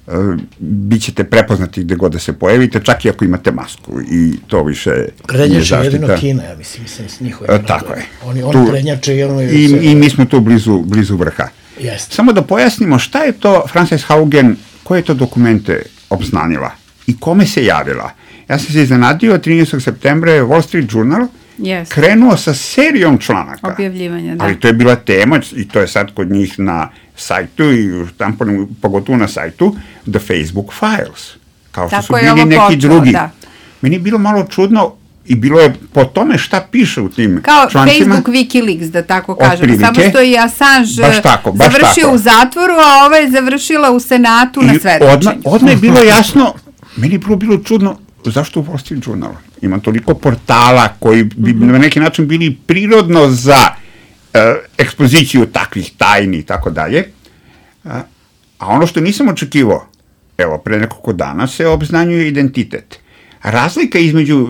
[SPEAKER 5] uh, bit ćete prepoznati gde god da se pojavite, čak i ako imate masku, i to više
[SPEAKER 4] prednjače jedino Kina, ja mislim, mislim s njihove.
[SPEAKER 5] Uh, tako je.
[SPEAKER 4] Oni, oni prednjače i ono...
[SPEAKER 5] I, i mi smo tu blizu, blizu vrha.
[SPEAKER 4] Jeste.
[SPEAKER 5] Samo da pojasnimo šta je to Frances Haugen, koje je to dokumente obznanila i kome se javila. Ja sam se iznenadio, trinaestog septembra je Wall Street Journal
[SPEAKER 3] Yes.
[SPEAKER 5] krenuo sa serijom članaka.
[SPEAKER 3] Objavljivanja, da.
[SPEAKER 5] Ali to je bila tema i to je sad kod njih na sajtu i tamo, pogotovo na sajtu The Facebook Files. Kao što
[SPEAKER 3] Tako
[SPEAKER 5] su bili neki
[SPEAKER 3] počelo,
[SPEAKER 5] drugi.
[SPEAKER 3] Da.
[SPEAKER 5] Meni je bilo malo čudno i bilo je po tome šta piše u tim
[SPEAKER 3] Kao
[SPEAKER 5] člancima.
[SPEAKER 3] Facebook Wikileaks, da tako kažem.
[SPEAKER 5] Otprilike.
[SPEAKER 3] Samo što je Assange
[SPEAKER 5] baš tako, baš
[SPEAKER 3] završio
[SPEAKER 5] tako.
[SPEAKER 3] u zatvoru, a ova je završila u Senatu I na svedočenju.
[SPEAKER 5] Odmah, odmah je bilo jasno, meni je bilo, bilo čudno, zašto u Wall Street Journal? Ima toliko portala koji bi mm-hmm. na neki način bili prirodno za uh, ekspoziciju takvih tajni i tako dalje. A ono što nisam očekivao, evo, pre nekoliko dana se obznanjuje identitet. Razlika između,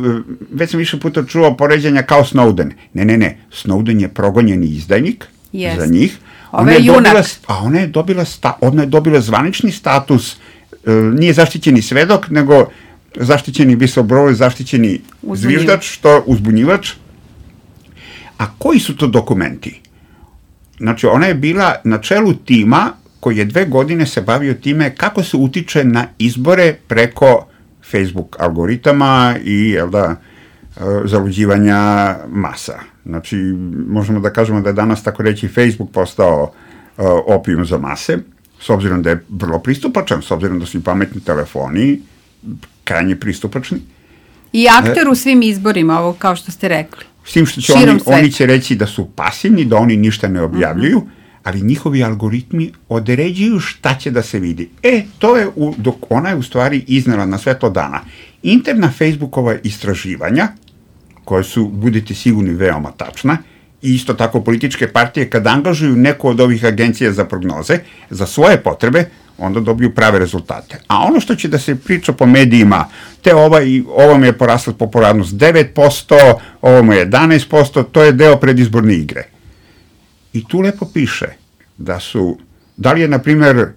[SPEAKER 5] već sam više puta čuo poređanja kao Snowden. Ne, ne, ne, Snowden je progonjeni izdajnik yes. za njih.
[SPEAKER 3] Ona je junak.
[SPEAKER 5] Dobila, a ona je dobila, sta, ona je dobila zvanični status, uh, nije zaštićeni svedok, nego zaštićeni whistleblower, zaštićeni Uzbunjivač. zviždač, što uzbunjivač. A koji su to dokumenti? Znači, ona je bila na čelu tima koji je dve godine se bavio time kako se utiče na izbore preko Facebook algoritama i, jel da, zaluđivanja masa. Znači, možemo da kažemo da je danas, tako reći, Facebook postao opijum za mase, s obzirom da je vrlo pristupačan, s obzirom da su i pametni telefoni krajnje pristupačni.
[SPEAKER 3] I akter u svim izborima, ovo kao što ste rekli.
[SPEAKER 5] S tim što će oni, oni će reći da su pasivni, da oni ništa ne objavljuju, uh-huh. ali njihovi algoritmi određuju šta će da se vidi. E, to je, u, dok ona je u stvari iznela na svetlo dana. Interna Facebookova istraživanja, koje su, budite sigurni, veoma tačna, i isto tako političke partije, kada angažuju neku od ovih agencija za prognoze, za svoje potrebe, onda dobiju prave rezultate. A ono što će da se priča po medijima, te ovaj, ovom je porasla popularnost devet posto, ovom je jedanaest posto, to je deo predizborne igre. I tu lepo piše da su, da li je, na primjer,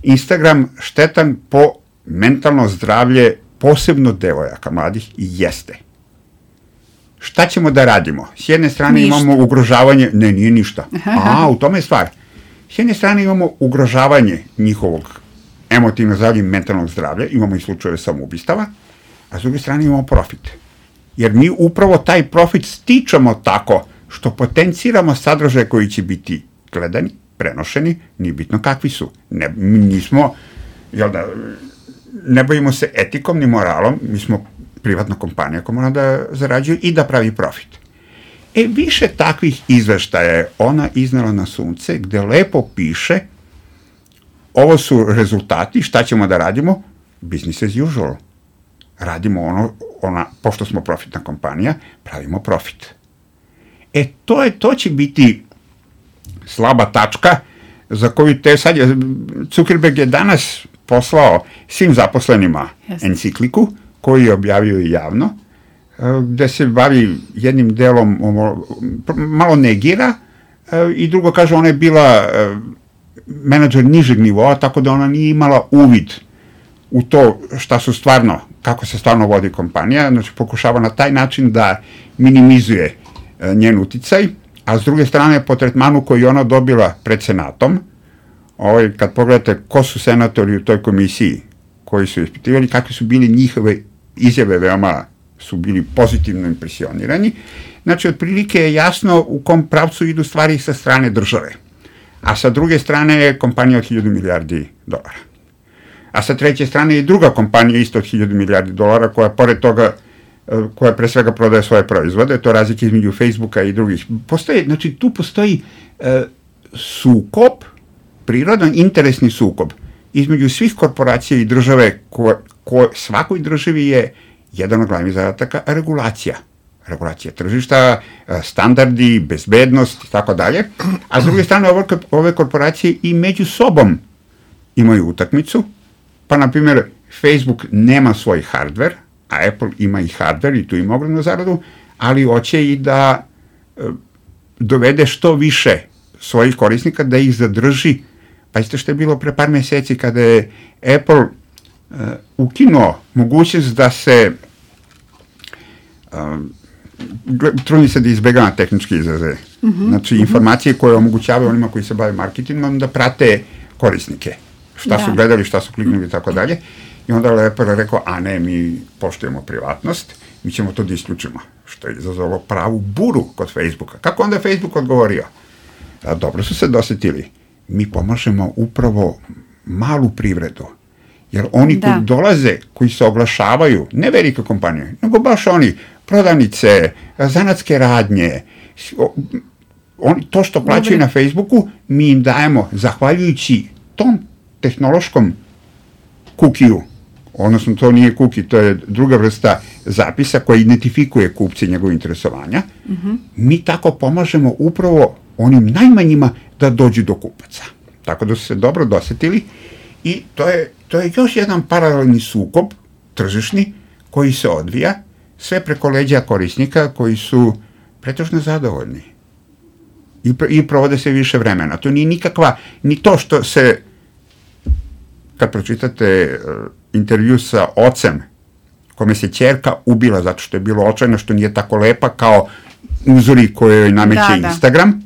[SPEAKER 5] Instagram štetan po mentalno zdravlje, posebno devojaka mladih, i jeste. Šta ćemo da radimo? S jedne strane ništa. Imamo ugrožavanje, ne, nije ništa. A, u tome je stvar. S jedne strane imamo ugrožavanje njihovog emotivno zdravlja i mentalnog zdravlja, imamo i slučajeve samoubistava, a s druge strane imamo profit. Jer mi upravo taj profit stičemo tako što potenciramo sadržaje koji će biti gledani, prenošeni, nije bitno kakvi su. Ne, mi nismo, jel da, ne bavimo se etikom ni moralom, mi smo privatna kompanija koja mora da zarađuje i da pravi profit. E, više takvih izveštaja je ona iznela na sunce, gde lepo piše ovo su rezultati, šta ćemo da radimo? Business as usual. Radimo ono, ona, pošto smo profitna kompanija, pravimo profit. E, to je, to će biti slaba tačka za koju te sad je, Zuckerberg je danas poslao svim zaposlenima Jasne. encikliku, koju je objavio i javno, gde se bavi jednim delom, malo negira, i drugo kaže, ona je bila menadžer nižeg nivoa, tako da ona nije imala uvid u to šta su stvarno, kako se stvarno vodi kompanija, znači pokušava na taj način da minimizuje njen uticaj, a s druge strane po tretmanu koji ona dobila pred senatom, ovaj, kad pogledate ko su senatori u toj komisiji koji su ispitivali, kakve su bili njihove izjave, veoma su bili pozitivno impresionirani, znači otprilike je jasno u kom pravcu idu stvari sa strane države. A sa druge strane je kompanija od hiljadu milijardi dolara. A sa treće strane je druga kompanija isto od hiljadu milijardi dolara, koja pored toga, koja pre svega prodaje svoje proizvode, to je razlika između Facebooka i drugih. Postoji, znači tu postoji e, sukob, prirodan interesni sukob između svih korporacija i države, ko, ko svakoj državi je jedan od glavnih zadataka regulacija. Regulacija tržišta, standardi, bezbednost i tako dalje, a s druge strane ove, ove korporacije i među sobom imaju utakmicu, pa na primjer Facebook nema svoj hardware, a Apple ima i hardware i tu ima ogromnu zaradu, ali hoće i da e, dovede što više svojih korisnika, da ih zadrži. Pazite što je bilo pre par meseci kada je Apple e, ukinuo mogućnost da se e, trudim se da izbegava tehničke izraze. Mm-hmm. Znači, informacije koje omogućavaju onima koji se bave marketingom da prate korisnike. Šta da. su gledali, šta su kliknuli i tako dalje. I onda je Apple rekao, a ne, mi poštujemo privatnost, mi ćemo to da isključimo. Što je izazvalo pravu buru kod Facebooka. Kako onda je Facebook odgovorio? A, dobro su se dosetili. Mi pomažemo upravo malu privredu. Jer oni da. koji dolaze, koji se oglašavaju, ne velike kompanije, nego baš oni, prodavnice, zanatske radnje, oni, to što plaćaju Dobre. na Facebooku, mi im dajemo, zahvaljujući tom tehnološkom kukiju, odnosno to nije kuki, to je druga vrsta zapisa koja identifikuje kupce i njegove interesovanja, mm-hmm. mi tako pomažemo upravo onim najmanjima da dođu do kupaca. Tako da su se dobro dosetili i to je, to je još jedan paralelni sukob, tržišni, koji se odvija, sve preko leđa korisnika koji su pretežno zadovoljni i, i provode se više vremena. To nije nikakva, ni to što se, kad pročitate uh, intervju sa ocem, kome se ćerka ubila zato što je bilo očajno, što nije tako lepa kao uzori koje joj nameće da, Instagram, da.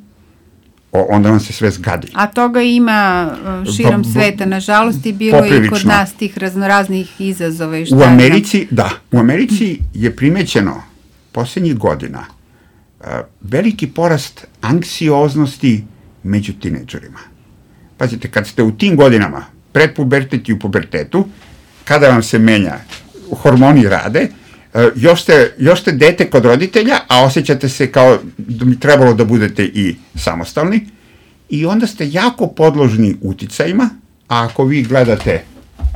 [SPEAKER 5] O, onda vam se sve zgadi.
[SPEAKER 3] A toga ima uh, širom ba, sveta, nažalost, i bilo i kod nas tih raznoraznih izazova i šta.
[SPEAKER 5] U Americi, da, u Americi je primećeno posljednjih godina uh, veliki porast anksioznosti među tinejdžerima. pazite, kad ste u tim godinama, pred pubertet i u pubertetu, kada vam se menja, hormoni rade, još ste, još ste dete kod roditelja, a osjećate se kao da bi trebalo da budete i samostalni, i onda ste jako podložni uticajima, a ako vi gledate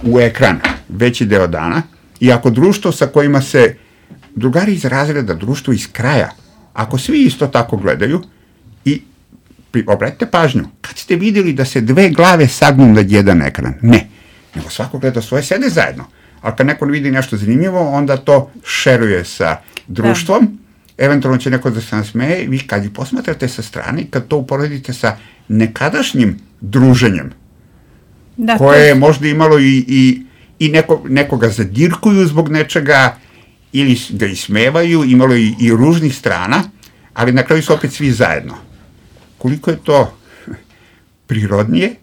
[SPEAKER 5] u ekran veći deo dana, i ako društvo sa kojima se drugari iz razreda, društvo iz kraja, ako svi isto tako gledaju, i obratite pažnju, kad ste vidjeli da se dve glave sagnu na jedan ekran? Ne, nego svako gleda svoje, sede zajedno. Ali kad neko vidi nešto zanimljivo, onda to šeruje sa društvom, da. Eventualno će neko da se nasmeje, vi kad ih posmatrate sa strane, kad to uporedite sa nekadašnjim druženjem, da, koje je možda imalo i, i, i neko, nekoga zadirkuju zbog nečega, ili ga ismevaju, imalo i, i ružnih strana, ali na kraju su opet svi zajedno. Koliko je to prirodnije?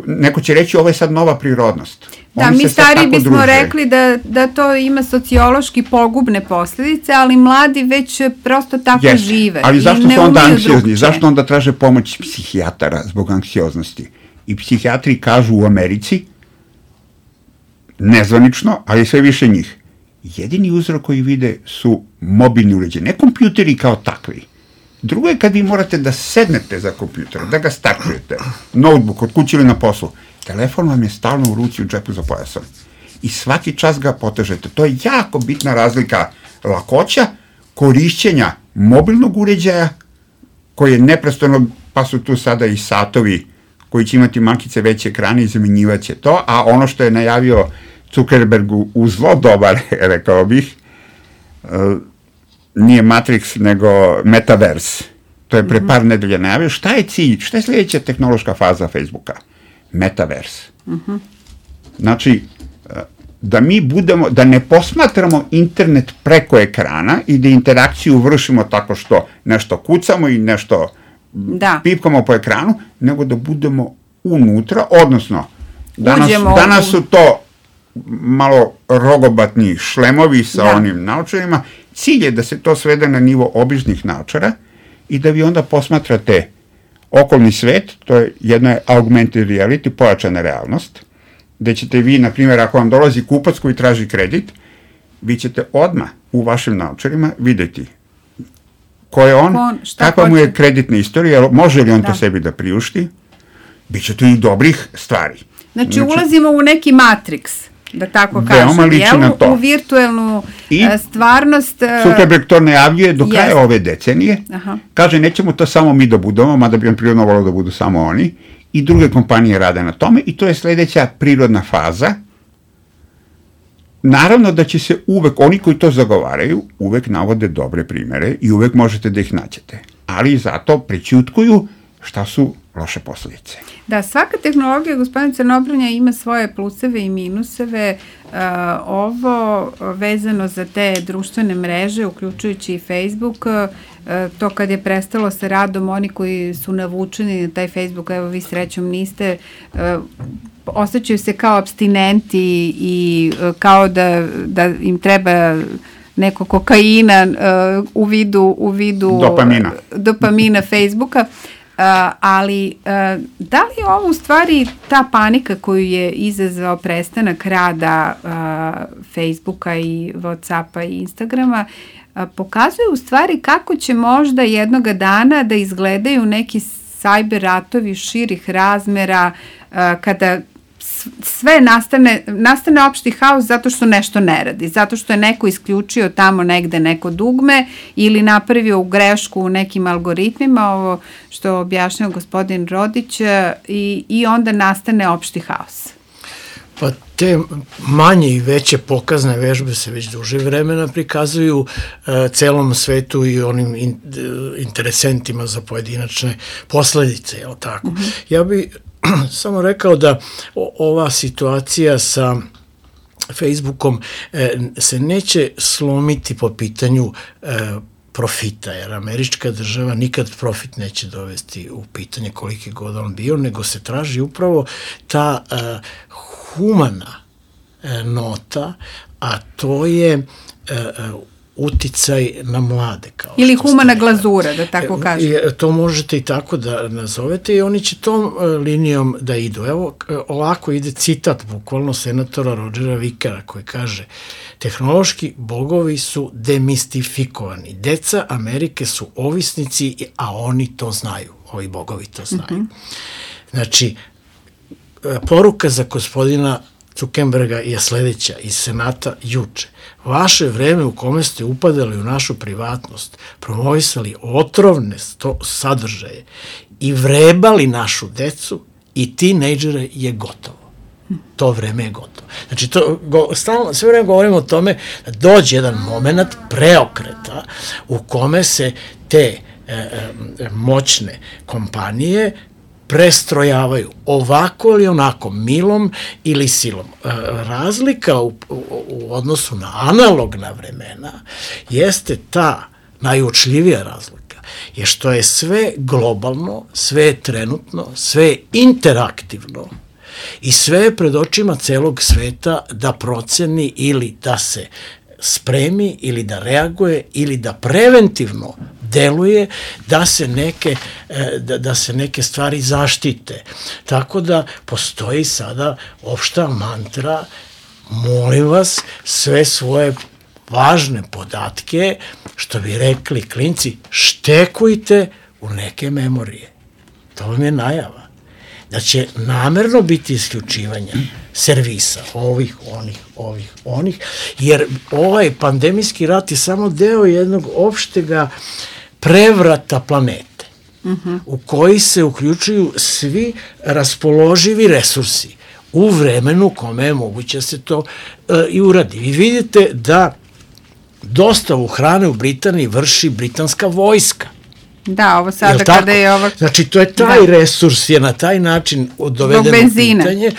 [SPEAKER 5] Neko će reći, ovo je sad nova prirodnost.
[SPEAKER 3] Da,
[SPEAKER 5] Oni
[SPEAKER 3] mi stari bismo
[SPEAKER 5] druže.
[SPEAKER 3] rekli da, da to ima sociološki pogubne posljedice, ali mladi već prosto tako
[SPEAKER 5] Jeste.
[SPEAKER 3] žive.
[SPEAKER 5] Ali zašto su onda anksiozni?
[SPEAKER 3] Drugče.
[SPEAKER 5] Zašto onda traže pomoć psihijatara zbog anksioznosti? I psihijatri kažu u Americi, nezvanično, ali sve više njih, jedini uzrok koji vide su mobilni uređaji, ne kompjuteri kao takvi. Drugo je kad vi morate da sednete za kompjuter, da ga startujete, notebook, od kuće ili na poslu, telefon vam je stalno u ruci, u džepu za pojasom. I svaki čas ga potežete. To je jako bitna razlika lakoća korišćenja mobilnog uređaja, koji je neprestano, pa su tu sada i satovi koji će imati malkice veće ekrane i zamjenjivaće to, a ono što je najavio Zuckerberg u zlo dobar, rekao bih, nije Matrix, nego Metaverse. To je pre par nedelja najavio. Šta je cilj? Šta je sljedeća tehnološka faza Facebooka? Metaverse. Uh-huh. Znači, da mi budemo, da ne posmatramo internet preko ekrana i da interakciju vršimo tako što nešto kucamo i nešto da. pipkamo po ekranu, nego da budemo unutra, odnosno, danas, danas su to malo rogobatni šlemovi sa da. onim naočarima. Cilj je da se to svede na nivo običnih naočara i da vi onda posmatrate okolni svet, to je jedna augmented reality, pojačana realnost, gde ćete vi, na primjer, ako vam dolazi kupac koji traži kredit, vi ćete odmah u vašim naočarima videti ko je on, on kakva mu je kreditna istorija, može li on da. to sebi da priušti, bit će tu i dobrih stvari.
[SPEAKER 3] Znači, znači ulazimo u neki Matrix, da tako kažem, jel? U virtuelnu I stvarnost.
[SPEAKER 5] Zuckerberg to najavljuje do kraja jest. ove decenije. Aha. Kaže, nećemo to samo mi da budemo, mada bi on prirodno volao da budu samo oni, i druge kompanije rade na tome, i to je sljedeća prirodna faza. Naravno da će se uvek, oni koji to zagovaraju, uvek navode dobre primere i uvek možete da ih nađete. Ali zato prećutkuju šta su loše posljedice.
[SPEAKER 3] Da, svaka tehnologija, gospodin Crnobranja, ima svoje pluseve i minuseve. Uh, ovo vezano za te društvene mreže, uključujući i Facebook, uh, to kad je prestalo sa radom, oni koji su navučeni na taj Facebook, evo vi srećom niste, uh, osjećaju se kao apstinenti i uh, kao da, da im treba neko kokaina uh, u vidu, u vidu
[SPEAKER 5] dopamina,
[SPEAKER 3] dopamina Facebooka. Uh, ali uh, da li je ovo u stvari ta panika koju je izazvao prestanak rada uh, Facebooka i Whatsappa i Instagrama uh, pokazuje u stvari kako će možda jednoga dana da izgledaju neki sajber ratovi širih razmera uh, kada sve nastane, nastane opšti haos zato što nešto ne radi, zato što je neko isključio tamo negde neko dugme ili napravio u grešku u nekim algoritmima, ovo što objašnjao gospodin Rodić, i, i onda nastane opšti haos.
[SPEAKER 4] Pa te manje i veće pokazne vežbe se već duže vremena prikazuju uh, celom svetu i onim in, uh, interesentima za pojedinačne posledice, je li tako? Uh-huh. Ja bih samo rekao da ova situacija sa Facebookom e, se neće slomiti po pitanju e, profita, jer američka država nikad profit neće dovesti u pitanje koliki god on bio, nego se traži upravo ta e, humana e, nota, a to je e, uticaj na mlade. Kao
[SPEAKER 3] ili humana glazura, da tako kažem.
[SPEAKER 4] To možete i tako da nazovete i oni će tom linijom da idu. Evo, ovako ide citat bukvalno senatora Rodgera Vickera koji kaže: tehnološki bogovi su demistifikovani. Deca Amerike su ovisnici, a oni to znaju. Ovi bogovi to znaju. Mm-hmm. Znači, poruka za gospodina Zuckerberga je sledeća iz Senata juče. Vaše vreme u kome ste upadali u našu privatnost, promovisali otrovne sadržaje i vrebali našu decu i tinejdžere je gotovo. To vreme je gotovo. Znači, to, go, stalno, sve vreme govorimo o tome da dođe jedan moment preokreta u kome se te e, e, moćne kompanije prestrojavaju ovako ili onako, milom ili silom. Razlika u, u, u odnosu na analogna vremena jeste ta najuočljivija razlika, je što je sve globalno, sve je trenutno, sve je interaktivno i sve je pred očima celog sveta da proceni ili da se spremi ili da reaguje ili da preventivno deluje da se neke da, da se neke stvari zaštite. Tako da postoji sada opšta mantra: molim vas, sve svoje važne podatke, što bi rekli klinci, štekujte u neke memorije. To vam je najava. Da će namerno biti isključivanja servisa, ovih, onih, ovih, onih, jer ovaj pandemijski rat je samo deo jednog opštega prevrata planete, uh-huh. u koji se uključuju svi raspoloživi resursi u vremenu kome je moguće se to uh, i uradi. Vi vidite da dostavu hrane u Britaniji vrši britanska vojska.
[SPEAKER 3] Da, ovo sada kada je ovo...
[SPEAKER 4] Znači, to je taj da. resurs je na taj način dovedeno u pitanje.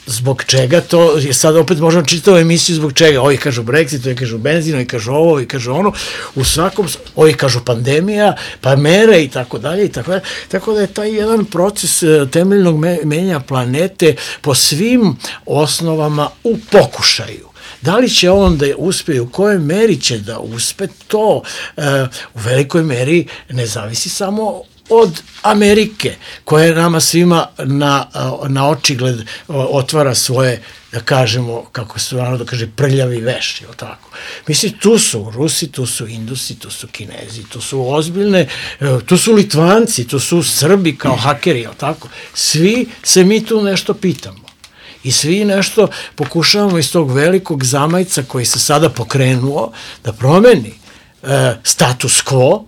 [SPEAKER 4] Zbog čega to, sad opet možemo čitati ovu emisiju zbog čega, ovi kažu Brexit, ovi kažu benzin, ovi kažu ovo, ovi kažu ono, u svakom, ovi kažu pandemija, pa mere i tako dalje i tako dalje, tako da je taj jedan proces temeljnog menjanja planete po svim osnovama u pokušaju. Da li će on da uspe, u kojoj meri će da uspe, to uh, u velikoj meri ne zavisi samo od Amerike, koja nama svima na, na očigled otvara svoje, da kažemo, kako se ono da kaže, prljavi veš, je li tako? Mislim, tu su Rusi, tu su Indusi, tu su Kinezi, tu su ozbiljne, tu su Litvanci, tu su Srbi kao hakeri, je li tako? Svi se mi tu nešto pitamo. I svi nešto pokušavamo iz tog velikog zamajca koji se sada pokrenuo da promeni e, status quo,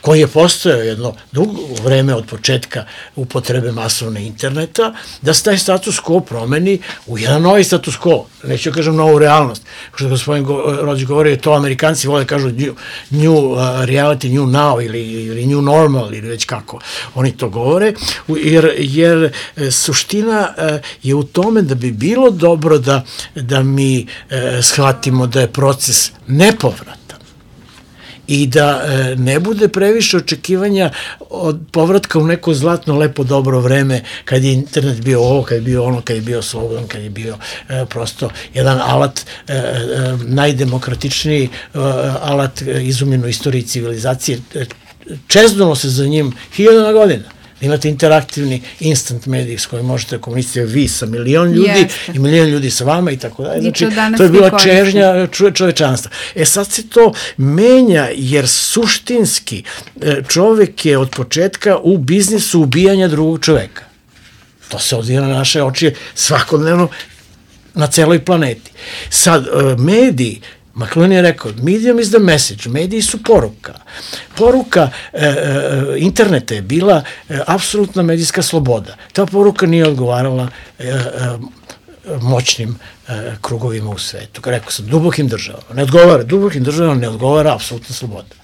[SPEAKER 4] koji je postojao jedno dugo vreme od početka upotrebe masovne interneta, da se taj status quo promeni u jedan novi status quo, neću kažem novu realnost. Što gospodin Rodić govori, to Amerikanci vole kažu new, new uh, reality, new now ili, ili new normal ili već kako oni to govore, jer, jer suština uh, je u tome da bi bilo dobro da, da mi uh, shvatimo da je proces nepovratan i da e, ne bude previše očekivanja od povratka u neko zlatno, lepo, dobro vreme kad je internet bio ovo, kad je bio ono, kad je bio slobodan, kad je bio e, prosto jedan alat, e, e, najdemokratičniji e, alat e, izumljen u istoriji civilizacije. E, čeznulo se za njim hiljadama godina. Imate interaktivni instant medij s kojim možete komunicirati vi sa milion ljudi Jeste. i milion ljudi sa vama i tako dalje. Znači, to je bila čežnja čovečanstva. E sad se to menja jer suštinski čovek je od početka u biznisu ubijanja drugog čoveka. To se odvija na naše oči svakodnevno na celoj planeti. Sad, mediji, McLuhan je rekao, medium is the message, mediji su poruka. Poruka e, e, interneta je bila e, apsolutna medijska sloboda. Ta poruka nije odgovarala e, e, moćnim e, krugovima u svetu. Kao rekao sam, dubokim državama. Ne odgovara, dubokim državama ne odgovara apsolutna sloboda.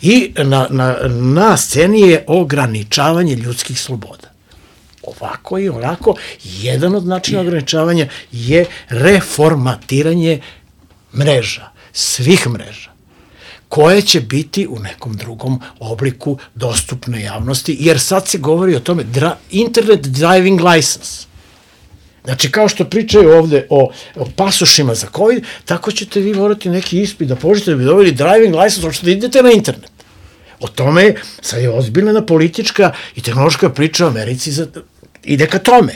[SPEAKER 4] I na, na, na sceni je ograničavanje ljudskih sloboda. Ovako i onako, jedan od načina ograničavanja je reformatiranje mreža, svih mreža, koje će biti u nekom drugom obliku dostupne javnosti, jer sad se govori o tome dra, internet driving license. Znači, kao što pričaju ovde o, o pasošima za COVID, tako ćete vi morati neki ispit da položite da bi dobili driving license, hoćete da idete na internet. O tome sad je ozbiljna politička i tehnološka priča u Americi za, ide ka tome.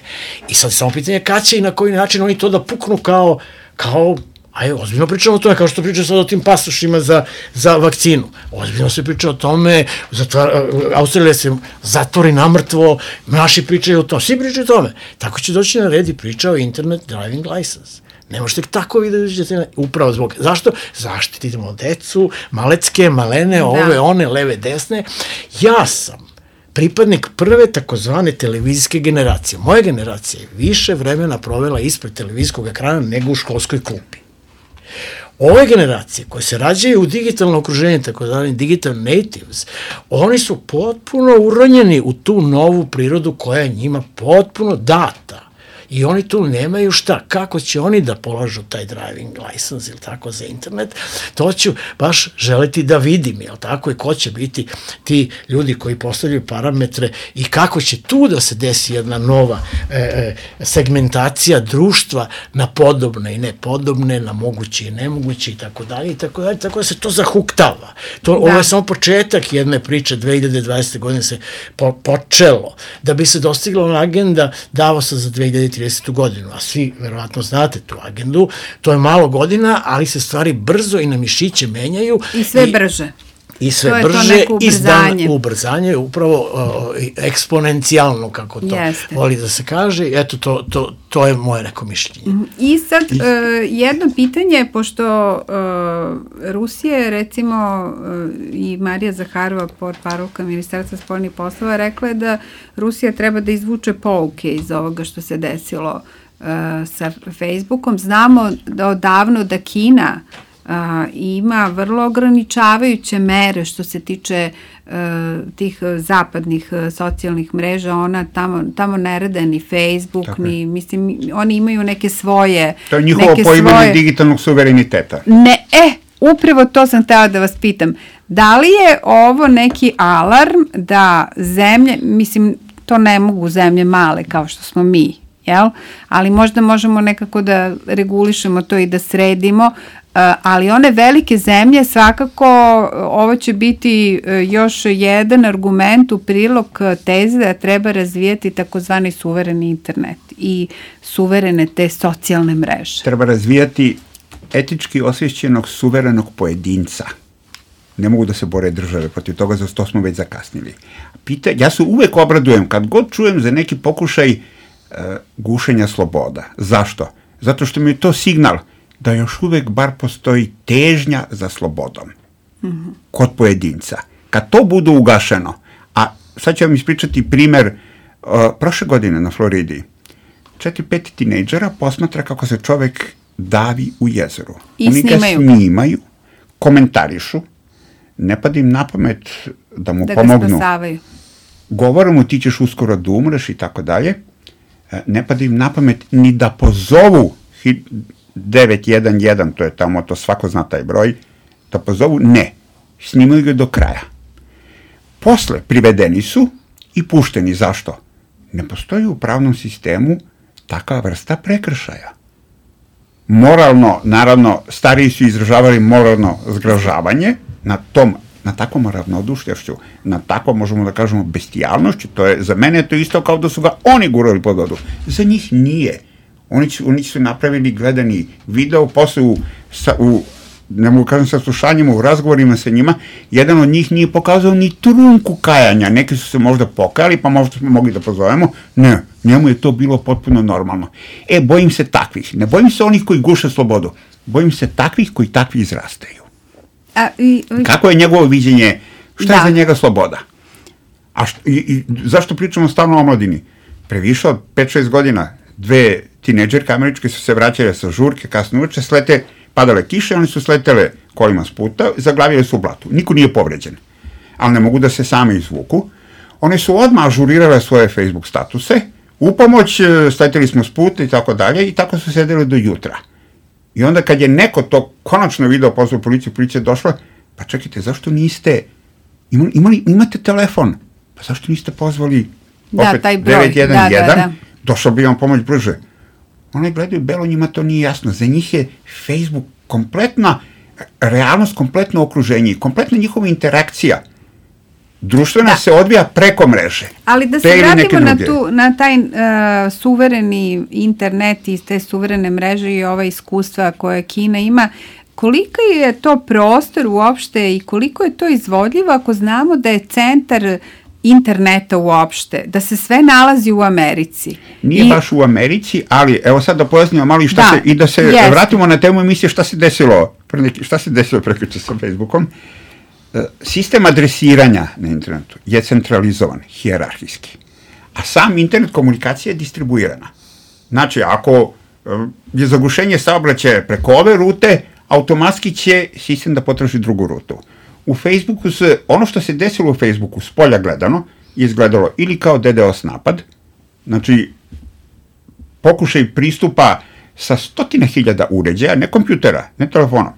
[SPEAKER 4] I sad samo pitanje kad će i na koji način oni to da puknu kao, kao ajde, ozbiljno pričamo o tome, kao što pričaju sad o tim pasošima za, za vakcinu. Ozbiljno se priča o tome, zatvar, Australija se zatvori namrtvo, naši pričaju o tome, svi pričaju o tome. Tako će doći na red i priča o internet driving license. Ne možete tako vi da uđete na... Upravo zbog... Zašto? Zaštitimo decu, malecke, malene, ove, one, leve, desne. Ja sam pripadnik prve takozvane televizijske generacije. Moja generacija je više vremena provela ispred televizijskog ekrana nego u školskoj klupi. Ove generacije koje se rađaju u digitalno okruženje, tako da digital natives, oni su potpuno uronjeni u tu novu prirodu koja je njima potpuno data. I oni tu nemaju šta, kako će oni da polažu taj driving license ili tako za internet, to ću baš želiti da vidim, jel tako, i ko će biti ti ljudi koji postavljaju parametre i kako će tu da se desi jedna nova e, e, segmentacija društva na podobne i nepodobne, na moguće i nemoguće i tako dalje i tako dalje, tako da se to zahuktava. To, da. Ovo je samo početak jedne priče, dve hiljade dvadesete. godine se po, počelo, da bi se dostigla ona agenda Davosa za dve hiljade tridesetu. godinu, a svi verovatno znate tu agendu, to je malo godina, ali se stvari brzo i na mišiće menjaju.
[SPEAKER 3] I sve i, brže.
[SPEAKER 4] I sve to brže, iz dana ubrzanje, upravo uh, eksponencijalno, kako to Jeste. voli da se kaže, eto, to, to, to je moje neko mišljenje.
[SPEAKER 3] I sad, uh, jedno pitanje, pošto uh, Rusija, recimo, uh, i Marija Zaharova, portparolka Ministarstva spoljnih poslova, rekla je da Rusija treba da izvuče pouke iz ovoga što se desilo uh, sa Facebookom. Znamo da odavno da Kina Uh, ima vrlo ograničavajuće mere što se tiče uh, tih zapadnih uh, socijalnih mreža, ona tamo, tamo ne rade ni Facebook, Tako ni, je. mislim, oni imaju neke svoje...
[SPEAKER 5] To je njihovo poimanje svoje... digitalnog suvereniteta.
[SPEAKER 3] Ne, e, upravo to sam htela da vas pitam. Da li je ovo neki alarm da zemlje, mislim, to ne mogu zemlje male kao što smo mi, jel? Ali možda možemo nekako da regulišemo to i da sredimo, Uh, ali one velike zemlje svakako ovo će biti uh, još jedan argument u prilog teze da treba razvijati takozvani suvereni internet i suverene te socijalne mreže.
[SPEAKER 5] Treba razvijati etički osvješćenog suverenog pojedinca. Ne mogu da se bore države protiv toga, za to smo već zakasnili. Pita, ja se uvek obradujem kad god čujem za neki pokušaj uh, gušenja sloboda. Zašto? Zato što mi je to signal da još uvek bar postoji težnja za slobodom mm-hmm. kod pojedinca. Kad to bude ugašeno, a sad ću vam ispričati primer uh, prošle godine na Floridi, četiri, pet tinejdžera posmatra kako se čovek davi u jezeru.
[SPEAKER 3] I
[SPEAKER 5] Oni
[SPEAKER 3] snimaju.
[SPEAKER 5] ga snimaju, komentarišu, ne pada im na pamet da mu
[SPEAKER 3] da
[SPEAKER 5] pomognu.
[SPEAKER 3] Da ga spasavaju.
[SPEAKER 5] Govore mu ti ćeš uskoro da umreš i tako dalje. Ne pada im na pamet ni da pozovu devet jedan jedan, to je tamo, to svako zna taj broj, da pozovu, ne, snimaju ga do kraja. Posle privedeni su i pušteni. Zašto? Ne postoji u pravnom sistemu takva vrsta prekršaja. Moralno, naravno, stariji su izražavali moralno zgražavanje na tom, na takvom ravnodušljašću, na takvom, možemo da kažemo, bestijalnošću, to je, za mene je to isto kao da su ga oni gurali pod vodu. Za njih nije. Oni su, oni su napravili gledani video, posle u, sa, u ne mogu kažem sa slušanjima, u razgovorima sa njima, jedan od njih nije pokazao ni trunku kajanja, neki su se možda pokajali, pa možda smo mogli da pozovemo, ne, njemu je to bilo potpuno normalno. E, bojim se takvih, ne bojim se onih koji guše slobodu, bojim se takvih koji takvi izrastaju. A, i, i, Kako je njegovo viđenje, šta da. je za njega sloboda? A što, i, i, zašto pričamo stalno o omladini? Previše od pet šest godina, dve tinejdžerke američke su se vraćale sa žurke, kasno uveče, slete, padale kiše, oni su sletele kolima s puta, zaglavile su u blatu. Niko nije povređen, ali ne mogu da se same izvuku. One su odmah ažurirale svoje Facebook statuse, u pomoć, sleteli smo s puta i tako dalje, i tako su sedeli do jutra. I onda kad je neko to konačno video, pozvao policiju, policija je došla, pa čekajte, zašto niste, imali, imali, imate telefon, pa zašto niste pozvali opet
[SPEAKER 3] da, taj broj.
[SPEAKER 5] devet jedan jedan,
[SPEAKER 3] da, da, da.
[SPEAKER 5] Došao bi vam pomoć brže. One gledaju belo, njima to nije jasno. Za njih je Facebook kompletna realnost, kompletno okruženje, kompletna njihova interakcija društvena da. se odvija preko mreže.
[SPEAKER 3] Ali da se vratimo na, tu, na taj uh, suvereni internet i te suverene mreže i ova iskustva koje Kina ima, koliko je to prostor uopšte i koliko je to izvodljivo ako znamo da je centar interneta uopšte, da se sve nalazi u Americi.
[SPEAKER 5] Nije
[SPEAKER 3] I...
[SPEAKER 5] baš u Americi, ali evo sad da pojasnimo malo i šta da, se, i da se jest. vratimo na temu emisije šta se desilo, pre neki, šta se desilo prekjuče sa Facebookom. Sistem adresiranja na internetu je centralizovan, hijerarhijski, a sam internet komunikacija je distribuirana. Znači, ako je zagušenje saobraćaja preko ove rute, automatski će sistem da potraži drugu rutu. U Facebooku se, ono što se desilo u Facebooku, s polja gledano, je izgledalo ili kao DDoS napad, znači pokušaj pristupa sa stotina hiljada uređaja, ne kompjutera, ne telefona,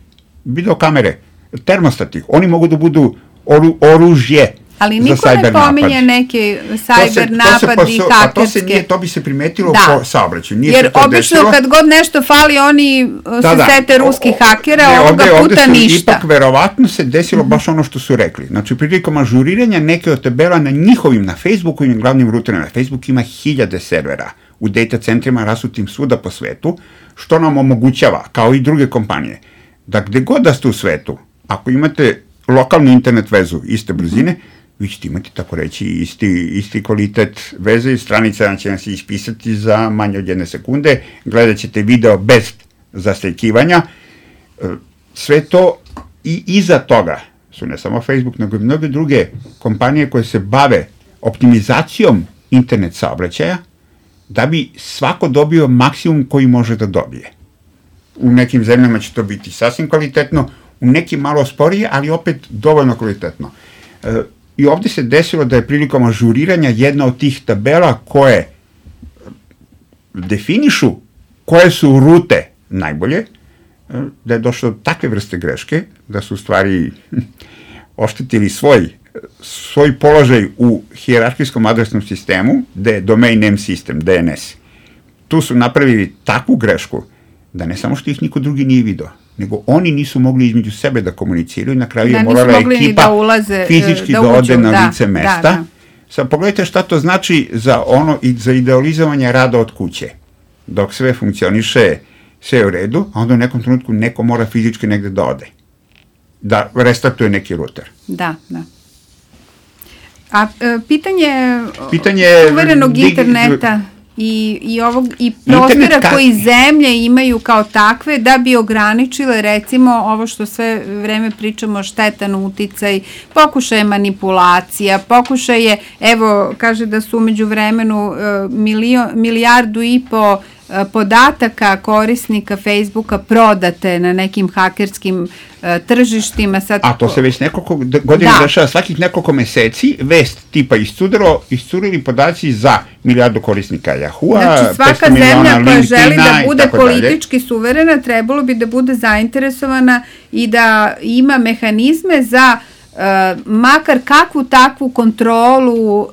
[SPEAKER 5] videokamere, termostati, oni mogu da budu oru, oružje.
[SPEAKER 3] Ali niko ne pominje neke sajber napad i hakerske.
[SPEAKER 5] To se nije, to bi se primetilo da. po saobraćaju. Nije
[SPEAKER 3] Jer obično desilo. Kad god nešto fali, oni da, se da. sete ruskih hakera, ne, ovoga ovde, puta ovde ništa.
[SPEAKER 5] Ipak verovatno se desilo mm-hmm. baš ono što su rekli. Znači, prilikom ažuriranja neke od tabela na njihovim, na Facebooku i na glavnim ruterima. Facebook ima hiljade servera u data centrima rasutim svuda po svetu, što nam omogućava, kao i druge kompanije, da gde god da ste u svetu, ako imate lokalnu internet vezu iste brzine, mm-hmm. vi ćete imati, tako reći, isti, isti kvalitet veze i stranica će vam se ispisati za manje od jedne sekunde, gledat ćete video bez zastajkivanja, sve to i iza toga su ne samo Facebook, nego i mnoge druge kompanije koje se bave optimizacijom internet saobraćaja, da bi svako dobio maksimum koji može da dobije. U nekim zemljama će to biti sasvim kvalitetno, u nekim malo sporije, ali opet dovoljno kvalitetno. I ovde se desilo da je prilikom ažuriranja jedna od tih tabela koje definišu koje su rute najbolje, da je došlo do takve vrste greške, da su u stvari oštetili svoj, svoj položaj u hijerarhijskom adresnom sistemu, gde je Domain Name System, D N S. Tu su napravili takvu grešku da ne samo što ih niko drugi nije video, nego oni nisu mogli između sebe da komuniciraju, na kraju da, je morala ekipa da ulaze, fizički da, da ode na da, lice mesta. Da, da. Sad pogledajte šta to znači za ono i za idealizovanje rada od kuće. Dok sve funkcioniše, sve je u redu, a onda u nekom trenutku neko mora fizički negde da ode. Da restartuje neki ruter.
[SPEAKER 3] Da, da. A e, pitanje, pitanje suverenog dig, interneta i, i, ovog, i prostora ka... koji zemlje imaju kao takve da bi ograničile recimo ovo što sve vreme pričamo, štetan uticaj, pokušaje manipulacija, pokušaje, evo kaže da su umeđu vremenu milio, milijardu i po podataka korisnika Facebooka prodate na nekim hakerskim uh, tržištima. Sad,
[SPEAKER 5] a to se već nekoliko godina da. dešava, svakih nekoliko meseci, vest tipa iscudilo, iscurili podaci za milijardu korisnika Yahoo-a,
[SPEAKER 3] znači svaka zemlja koja želi da bude politički dalje. suverena, trebalo bi da bude zainteresovana i da ima mehanizme za Uh, makar kakvu takvu kontrolu uh,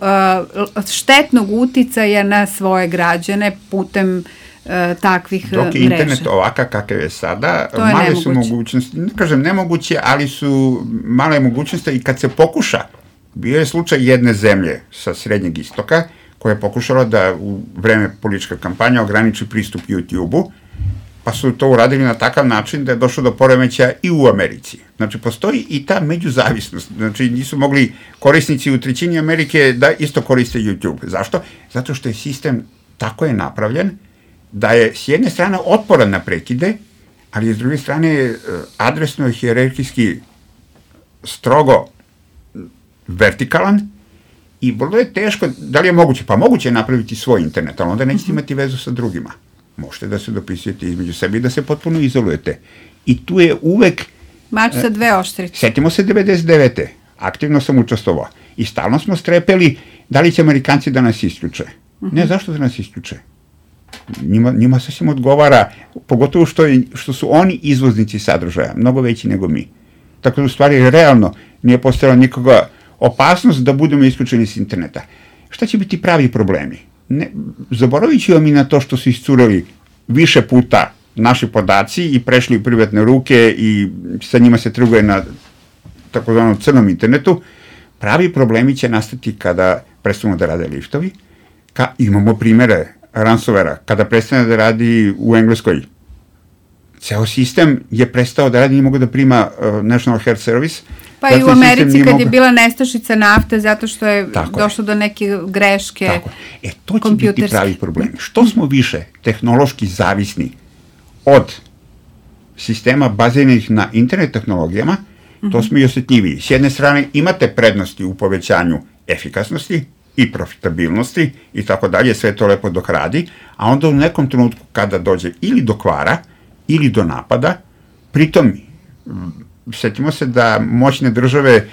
[SPEAKER 3] štetnog uticaja na svoje građane putem uh, takvih mreža.
[SPEAKER 5] Dok je internet ovakav kakav je sada,
[SPEAKER 3] to je
[SPEAKER 5] male
[SPEAKER 3] nemoguće.
[SPEAKER 5] su mogućnosti, ne kažem nemoguće, ali su male mogućnosti i kad se pokuša, bio je slučaj jedne zemlje sa Srednjeg istoka koja je pokušala da u vreme političke kampanje ograniči pristup YouTube-u, pa su to uradili na takav način da je došlo do poremećaja i u Americi. Znači, postoji i ta međuzavisnost. Znači, nisu mogli korisnici u trećini Amerike da isto koriste YouTube. Zašto? Zato što je sistem tako je napravljen da je s jedne strane otporan na prekide, ali je s druge strane adresno i hijerarhijski strogo vertikalan i vrlo je teško, da li je moguće? Pa moguće je napraviti svoj internet, ali onda nećete imati vezu sa drugima. Možete da se dopisujete između sebe i da se potpuno izolujete. I tu je uvek...
[SPEAKER 3] Mač sa dve oštrice.
[SPEAKER 5] Setimo se devedeset devete. Aktivno sam učestvovao. I stalno smo strepeli da li će Amerikanci da nas isključe. Uh-huh. Ne, zašto da nas isključe? Njima, njima sasvim odgovara, pogotovo što, je, što su oni izvoznici sadržaja, mnogo veći nego mi. Tako da u stvari realno nije postojala nikoga opasnost da budemo isključeni s interneta. Šta će biti pravi problemi? Ne, zaboravit ću vam i na to što su iscurali više puta naši podaci i prešli u privatne ruke i sa njima se trguje na takozvanom crnom internetu, pravi problemi će nastati kada prestanu da rade liftovi. Ka, imamo primere ransomwarea, kada prestane da radi u Engleskoj, ceo sistem je prestao da radi, nije mogo da prima uh, National Health Service.
[SPEAKER 3] Pa i u Americi kad mogo... je bila nestašica nafte zato što je tako došlo je. do neke greške
[SPEAKER 5] tako je. E, to će biti pravi problem. Što smo više tehnološki zavisni od sistema baziranih na internet tehnologijama, mm-hmm. to smo i osjetljiviji. S jedne strane imate prednosti u povećanju efikasnosti i profitabilnosti i tako dalje, sve to lepo dok radi, a onda u nekom trenutku kada dođe ili do kvara, ili do napada, pritom setimo se da moćne države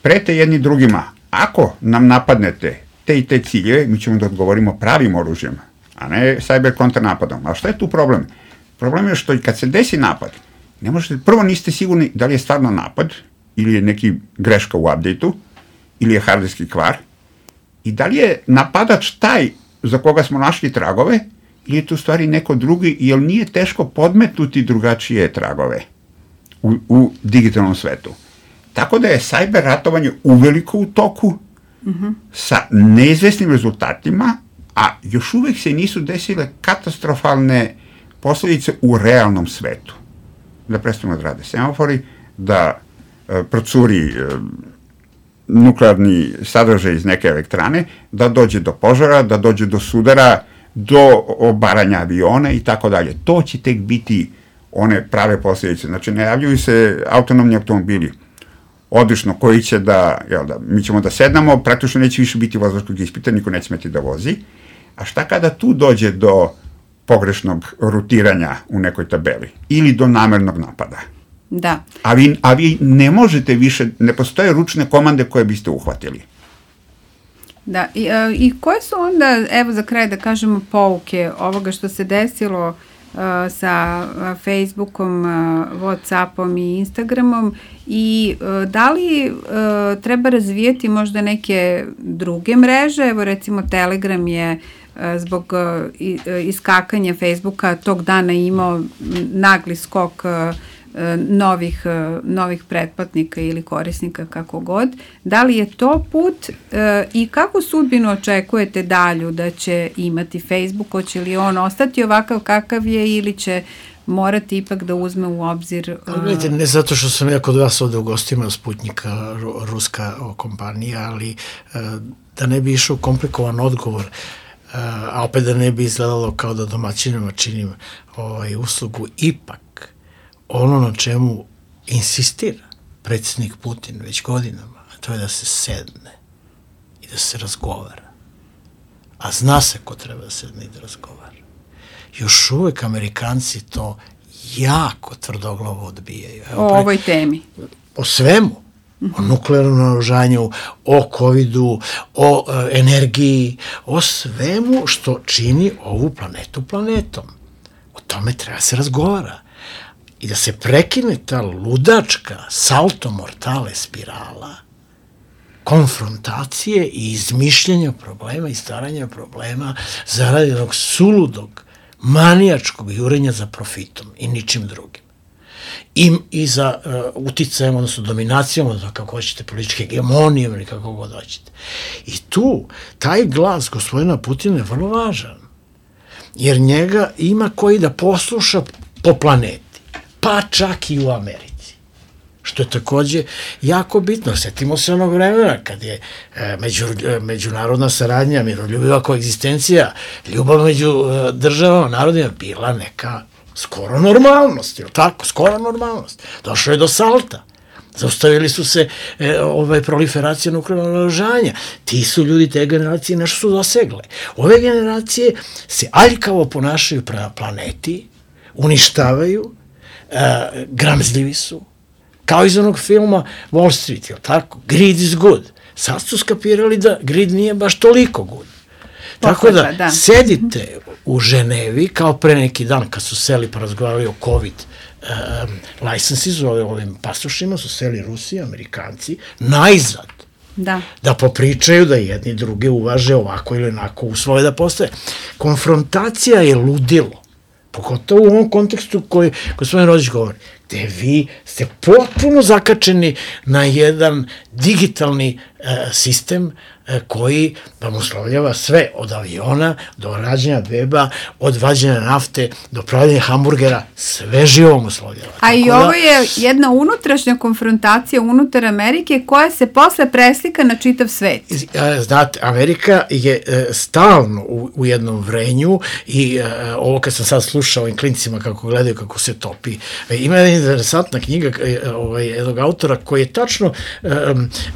[SPEAKER 5] prete jedni drugima. Ako nam napadnete te i te ciljeve, mi ćemo da odgovorimo pravim oružjem, a ne cyber kontranapadom. A šta je tu problem? Problem je što i kad se desi napad, ne možete, prvo niste sigurni da li je stvarno napad, ili je neki greška u update-u, ili je hardverski kvar, i da li je napadač taj za koga smo našli tragove, ili je to u stvari neko drugi, jer nije teško podmetnuti drugačije tragove u, u digitalnom svetu. Tako da je cyber ratovanje uveliko u toku, mm-hmm. sa neizvesnim rezultatima, a još uvek se nisu desile katastrofalne posledice u realnom svetu. Da prestanu da rade semafori, da e, procuri e, nuklearni sadržaj iz neke elektrane, da dođe do požara, da dođe do sudara, do obaranja aviona i tako dalje. To će tek biti one prave posljedice. Znači, ne javljaju se autonomni automobili, odlično, koji će da, jel da, mi ćemo da sednamo, praktično neće više biti vozačkog ispita, niko neće smeti da vozi, a šta kada tu dođe do pogrešnog rutiranja u nekoj tabeli ili do namernog napada?
[SPEAKER 3] Da.
[SPEAKER 5] A vi, a vi ne možete više, ne postoje ručne komande koje biste uhvatili.
[SPEAKER 3] Da, i, i koje su onda, evo za kraj da kažemo, pouke ovoga što se desilo uh, sa uh, Facebookom, uh, Whatsappom i Instagramom i uh, da li uh, treba razvijeti možda neke druge mreže, evo recimo Telegram je uh, zbog uh, iskakanja Facebooka tog dana imao nagli skok uh, novih, novih pretplatnika ili korisnika, kako god. Da li je to put e, i kakvu sudbinu očekujete dalju da će imati Facebook? Hoće li on ostati ovakav kakav je ili će morati ipak da uzme u obzir... Uh...
[SPEAKER 4] Gledajte, ne zato što sam ja kod vas ovde u gostima Sputnika, ruska kompanija, ali uh, da ne bi išao komplikovan odgovor, uh, a opet da ne bi izgledalo kao da domaćinima činim ovaj, uslugu, ipak ono na čemu insistira predsjednik Putin već godinama, a to je da se sedne i da se razgovara. A zna se ko treba da sedne i da razgovara. Još uvek Amerikanci to jako tvrdoglavo odbijaju.
[SPEAKER 3] Evo, o pre... ovoj temi.
[SPEAKER 4] O svemu. Mm-hmm. O nuklearnom naoružanju, o covidu, o uh, energiji, o svemu što čini ovu planetu planetom. O tome treba se razgovara. I da se prekine ta ludačka salto mortale spirala konfrontacije i izmišljenja problema i staranja problema zaradi jednog suludog, manijačkog jurenja za profitom i ničim drugim. I, i za uh, uticajem, odnosno dominacijom, odnosno kako hoćete, političke hegemonije ili kako god hoćete. I tu, taj glas gospodina Putina je vrlo važan, jer njega ima koji da posluša po planeti, pa čak i u Americi, što je takođe jako bitno. Setimo se onog vremena kad je e, među, e, međunarodna saradnja, miroljubiva koegzistencija, ljubav među e, državama, narodima bila neka skoro normalnost, jel tako? Skoro normalnost. Došlo je do salta. Zaustavili su se e, ovaj, proliferacija nuklearnog naoružanja. Ti su ljudi te generacije nešto su dosegle. Ove generacije se aljkavo ponašaju prema planeti, uništavaju, e, gramzljivi su, kao iz onog filma Wall Street, jel tako? Greed is good. Sad su skapirali da greed nije baš toliko good. Tako da, da, sedite u Ženevi, kao pre neki dan kad su seli pa razgovarali o COVID um, licenses, o ovim pasošima, su seli Rusi, Amerikanci, najzad. Da. Da popričaju, da jedni druge uvaže ovako ili onako, usvoje da postoje. Konfrontacija je ludilo. Pogotovo u ovom kontekstu koji gospodin Rodić govori, gde vi ste potpuno zakačeni na jedan digitalni e, sistem e, koji vam uslovljava sve od aviona do rađenja weba, od vađenja nafte do pravljenja hamburgera, sve živom uslovljava.
[SPEAKER 3] A i ovo je jedna unutrašnja konfrontacija unutar Amerike koja se posle preslika na čitav svet.
[SPEAKER 4] Znate, Amerika je e, stalno u, u jednom vrenju i e, ovo kad sam sad slušao ovim klincima kako gledaju kako se topi. E, ima jedna interesantna knjiga e, ovaj, jednog autora koji je tačno e,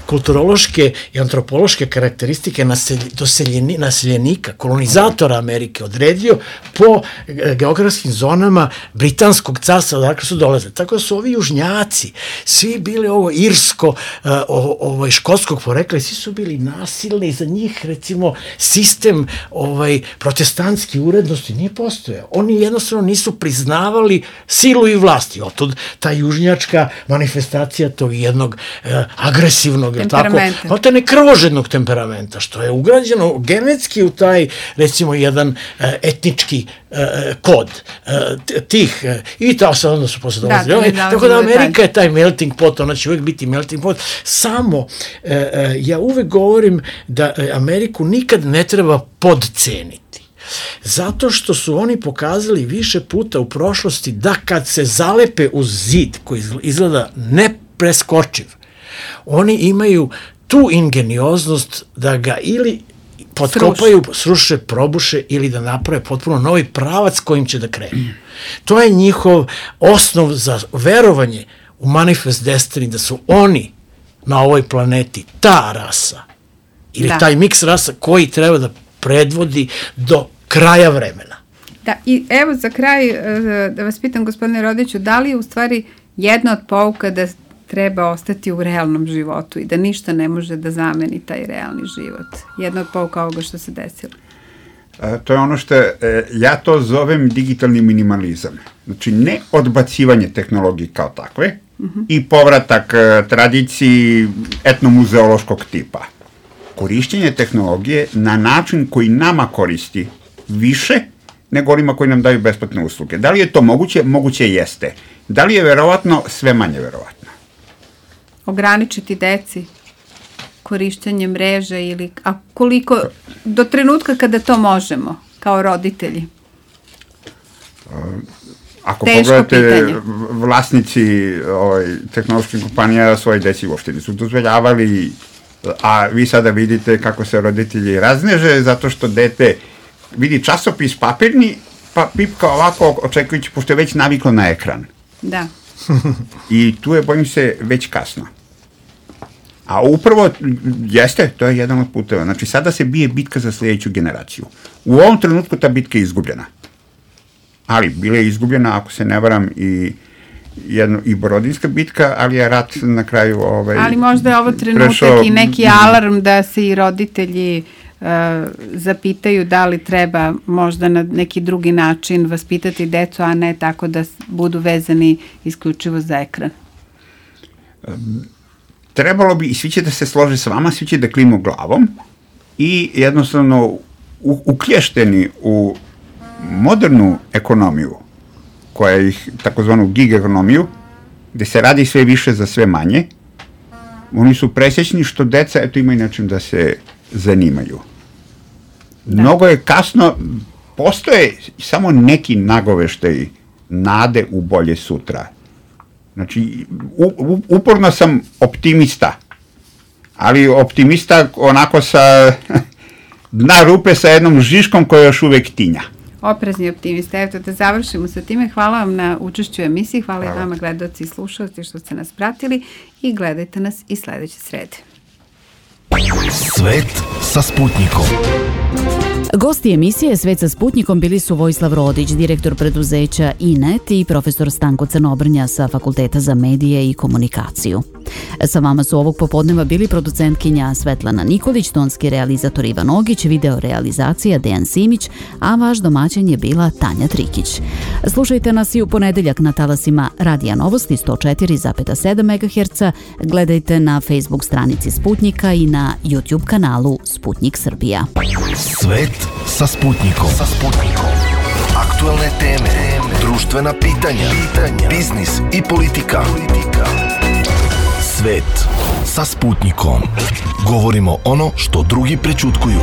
[SPEAKER 4] kulturološke i antropološke karakteristike naseljeni, naseljenika, kolonizatora Amerike odredio po e, geografskim zonama Britanskog carstva, dakle su dolaze. Tako da su ovi južnjaci, svi bili ovo irsko, e, ovo, ovo škotskog porekla, svi su bili nasilni, za njih recimo sistem ovaj, protestantski urednosti nije postojao. Oni jednostavno nisu priznavali silu i vlasti. Otud ta južnjačka manifestacija tog jednog e, agresivnog, temperamenta. Tako, te ne krvožednog temperamenta, što je ugrađeno genetski u taj, recimo, jedan e, etnički e, kod e, tih, e, i ta sad onda su posle dolazili. Da, tako da Amerika je taj melting pot, ona će uvek biti melting pot. Samo, e, e, ja uvek govorim da Ameriku nikad ne treba podceniti. Zato što su oni pokazali više puta u prošlosti da kad se zalepe uz zid koji izgleda nepreskočiv, oni imaju tu ingenioznost da ga ili potkopaju, sruše, probuše ili da naprave potpuno novi pravac kojim će da krenu. To je njihov osnov za verovanje u manifest destiny, da su oni na ovoj planeti ta rasa ili da. Taj miks rasa koji treba da predvodi do kraja vremena.
[SPEAKER 3] Da, i evo za kraj da vas pitam, gospodine Rodiću, da li je u stvari jedna od pouka da treba ostati u realnom životu i da ništa ne može da zameni taj realni život? Jedna od pouka ovoga što se desilo.
[SPEAKER 5] A, to je ono što e, ja to zovem digitalni minimalizam. Znači, ne odbacivanje tehnologije kao takve uh-huh. i povratak e, tradiciji etnomuzeološkog tipa. Korišćenje tehnologije na način koji nama koristi više nego onima koji nam daju besplatne usluge. Da li je to moguće? Moguće jeste. Da li je verovatno? Sve manje verovatno.
[SPEAKER 3] Ograničiti deci korišćenje mreža ili, a koliko, do trenutka kada to možemo, kao roditelji?
[SPEAKER 5] Ako teško pogledate, pitanje. Vlasnici ovaj, tehnoloških kompanija svoje deci uopšte nisu dozvoljavali, a vi sada vidite kako se roditelji razneže zato što dete vidi časopis papirni, pa pipka ovako očekujući, pošto je već naviklo na ekran.
[SPEAKER 3] Da.
[SPEAKER 5] I tu je, bojim se, već kasno. A upravo, jeste, to je jedan od puteva. Znači, sada se bije bitka za sljedeću generaciju. U ovom trenutku ta bitka je izgubljena. Ali, bila je izgubljena, ako se ne varam, i jedno, i Borodinska bitka, ali je rat na kraju ovaj,
[SPEAKER 3] ali možda je ovo trenutak prešao, i neki alarm da se i roditelji uh, zapitaju da li treba možda na neki drugi način vaspitati decu, a ne tako da budu vezani isključivo za ekran.
[SPEAKER 5] Um, trebalo bi, i svi će da se slože sa vama, svi će da klinu glavom i jednostavno u, uklješteni u modernu ekonomiju, koja je ih, takozvanu gig ekonomiju, gde se radi sve više za sve manje, oni su presjećni što deca, eto, imaju način da se zanimaju. Da. Mnogo je kasno, postoje samo neki nagoveštaj nade u bolje sutra. Znači, u, u, uporno sam optimista, ali optimista onako sa dna rupe sa jednom žiškom koja još uvek tinja.
[SPEAKER 3] Oprezni optimista. Evo da završimo sa time. Hvala vam na učešću u emisiji. Hvala, Hvala. i vama, gledaoci i slušalci, što ste nas pratili i gledajte nas i sledeće srede.
[SPEAKER 1] Svet sa Sputnikom.
[SPEAKER 2] Gosti emisije Svet sa Sputnikom bili su Vojislav Rodić, direktor preduzeća I N E T i profesor Stanko Crnobrnja sa Fakulteta za medije i komunikaciju. Sa vama su ovog popodneva bili producentkinja Svetlana Nikolić, tonski realizator Ivan Ogić, video realizacija Dejan Simić, a vaš domaćin je bila Tanja Trikić. Slušajte nas i u ponedeljak na talasima Radija Novosti sto četiri zarez sedam megaherca, gledajte na Facebook stranici Sputnika i na YouTube kanalu Sputnik Srbija.
[SPEAKER 1] Svet sa Sputnikom. Sa Sputnikom. Aktuelne teme, društvena pitanja, biznis i politika. Svet sa Sputnikom. Govorimo ono što drugi prećutkuju.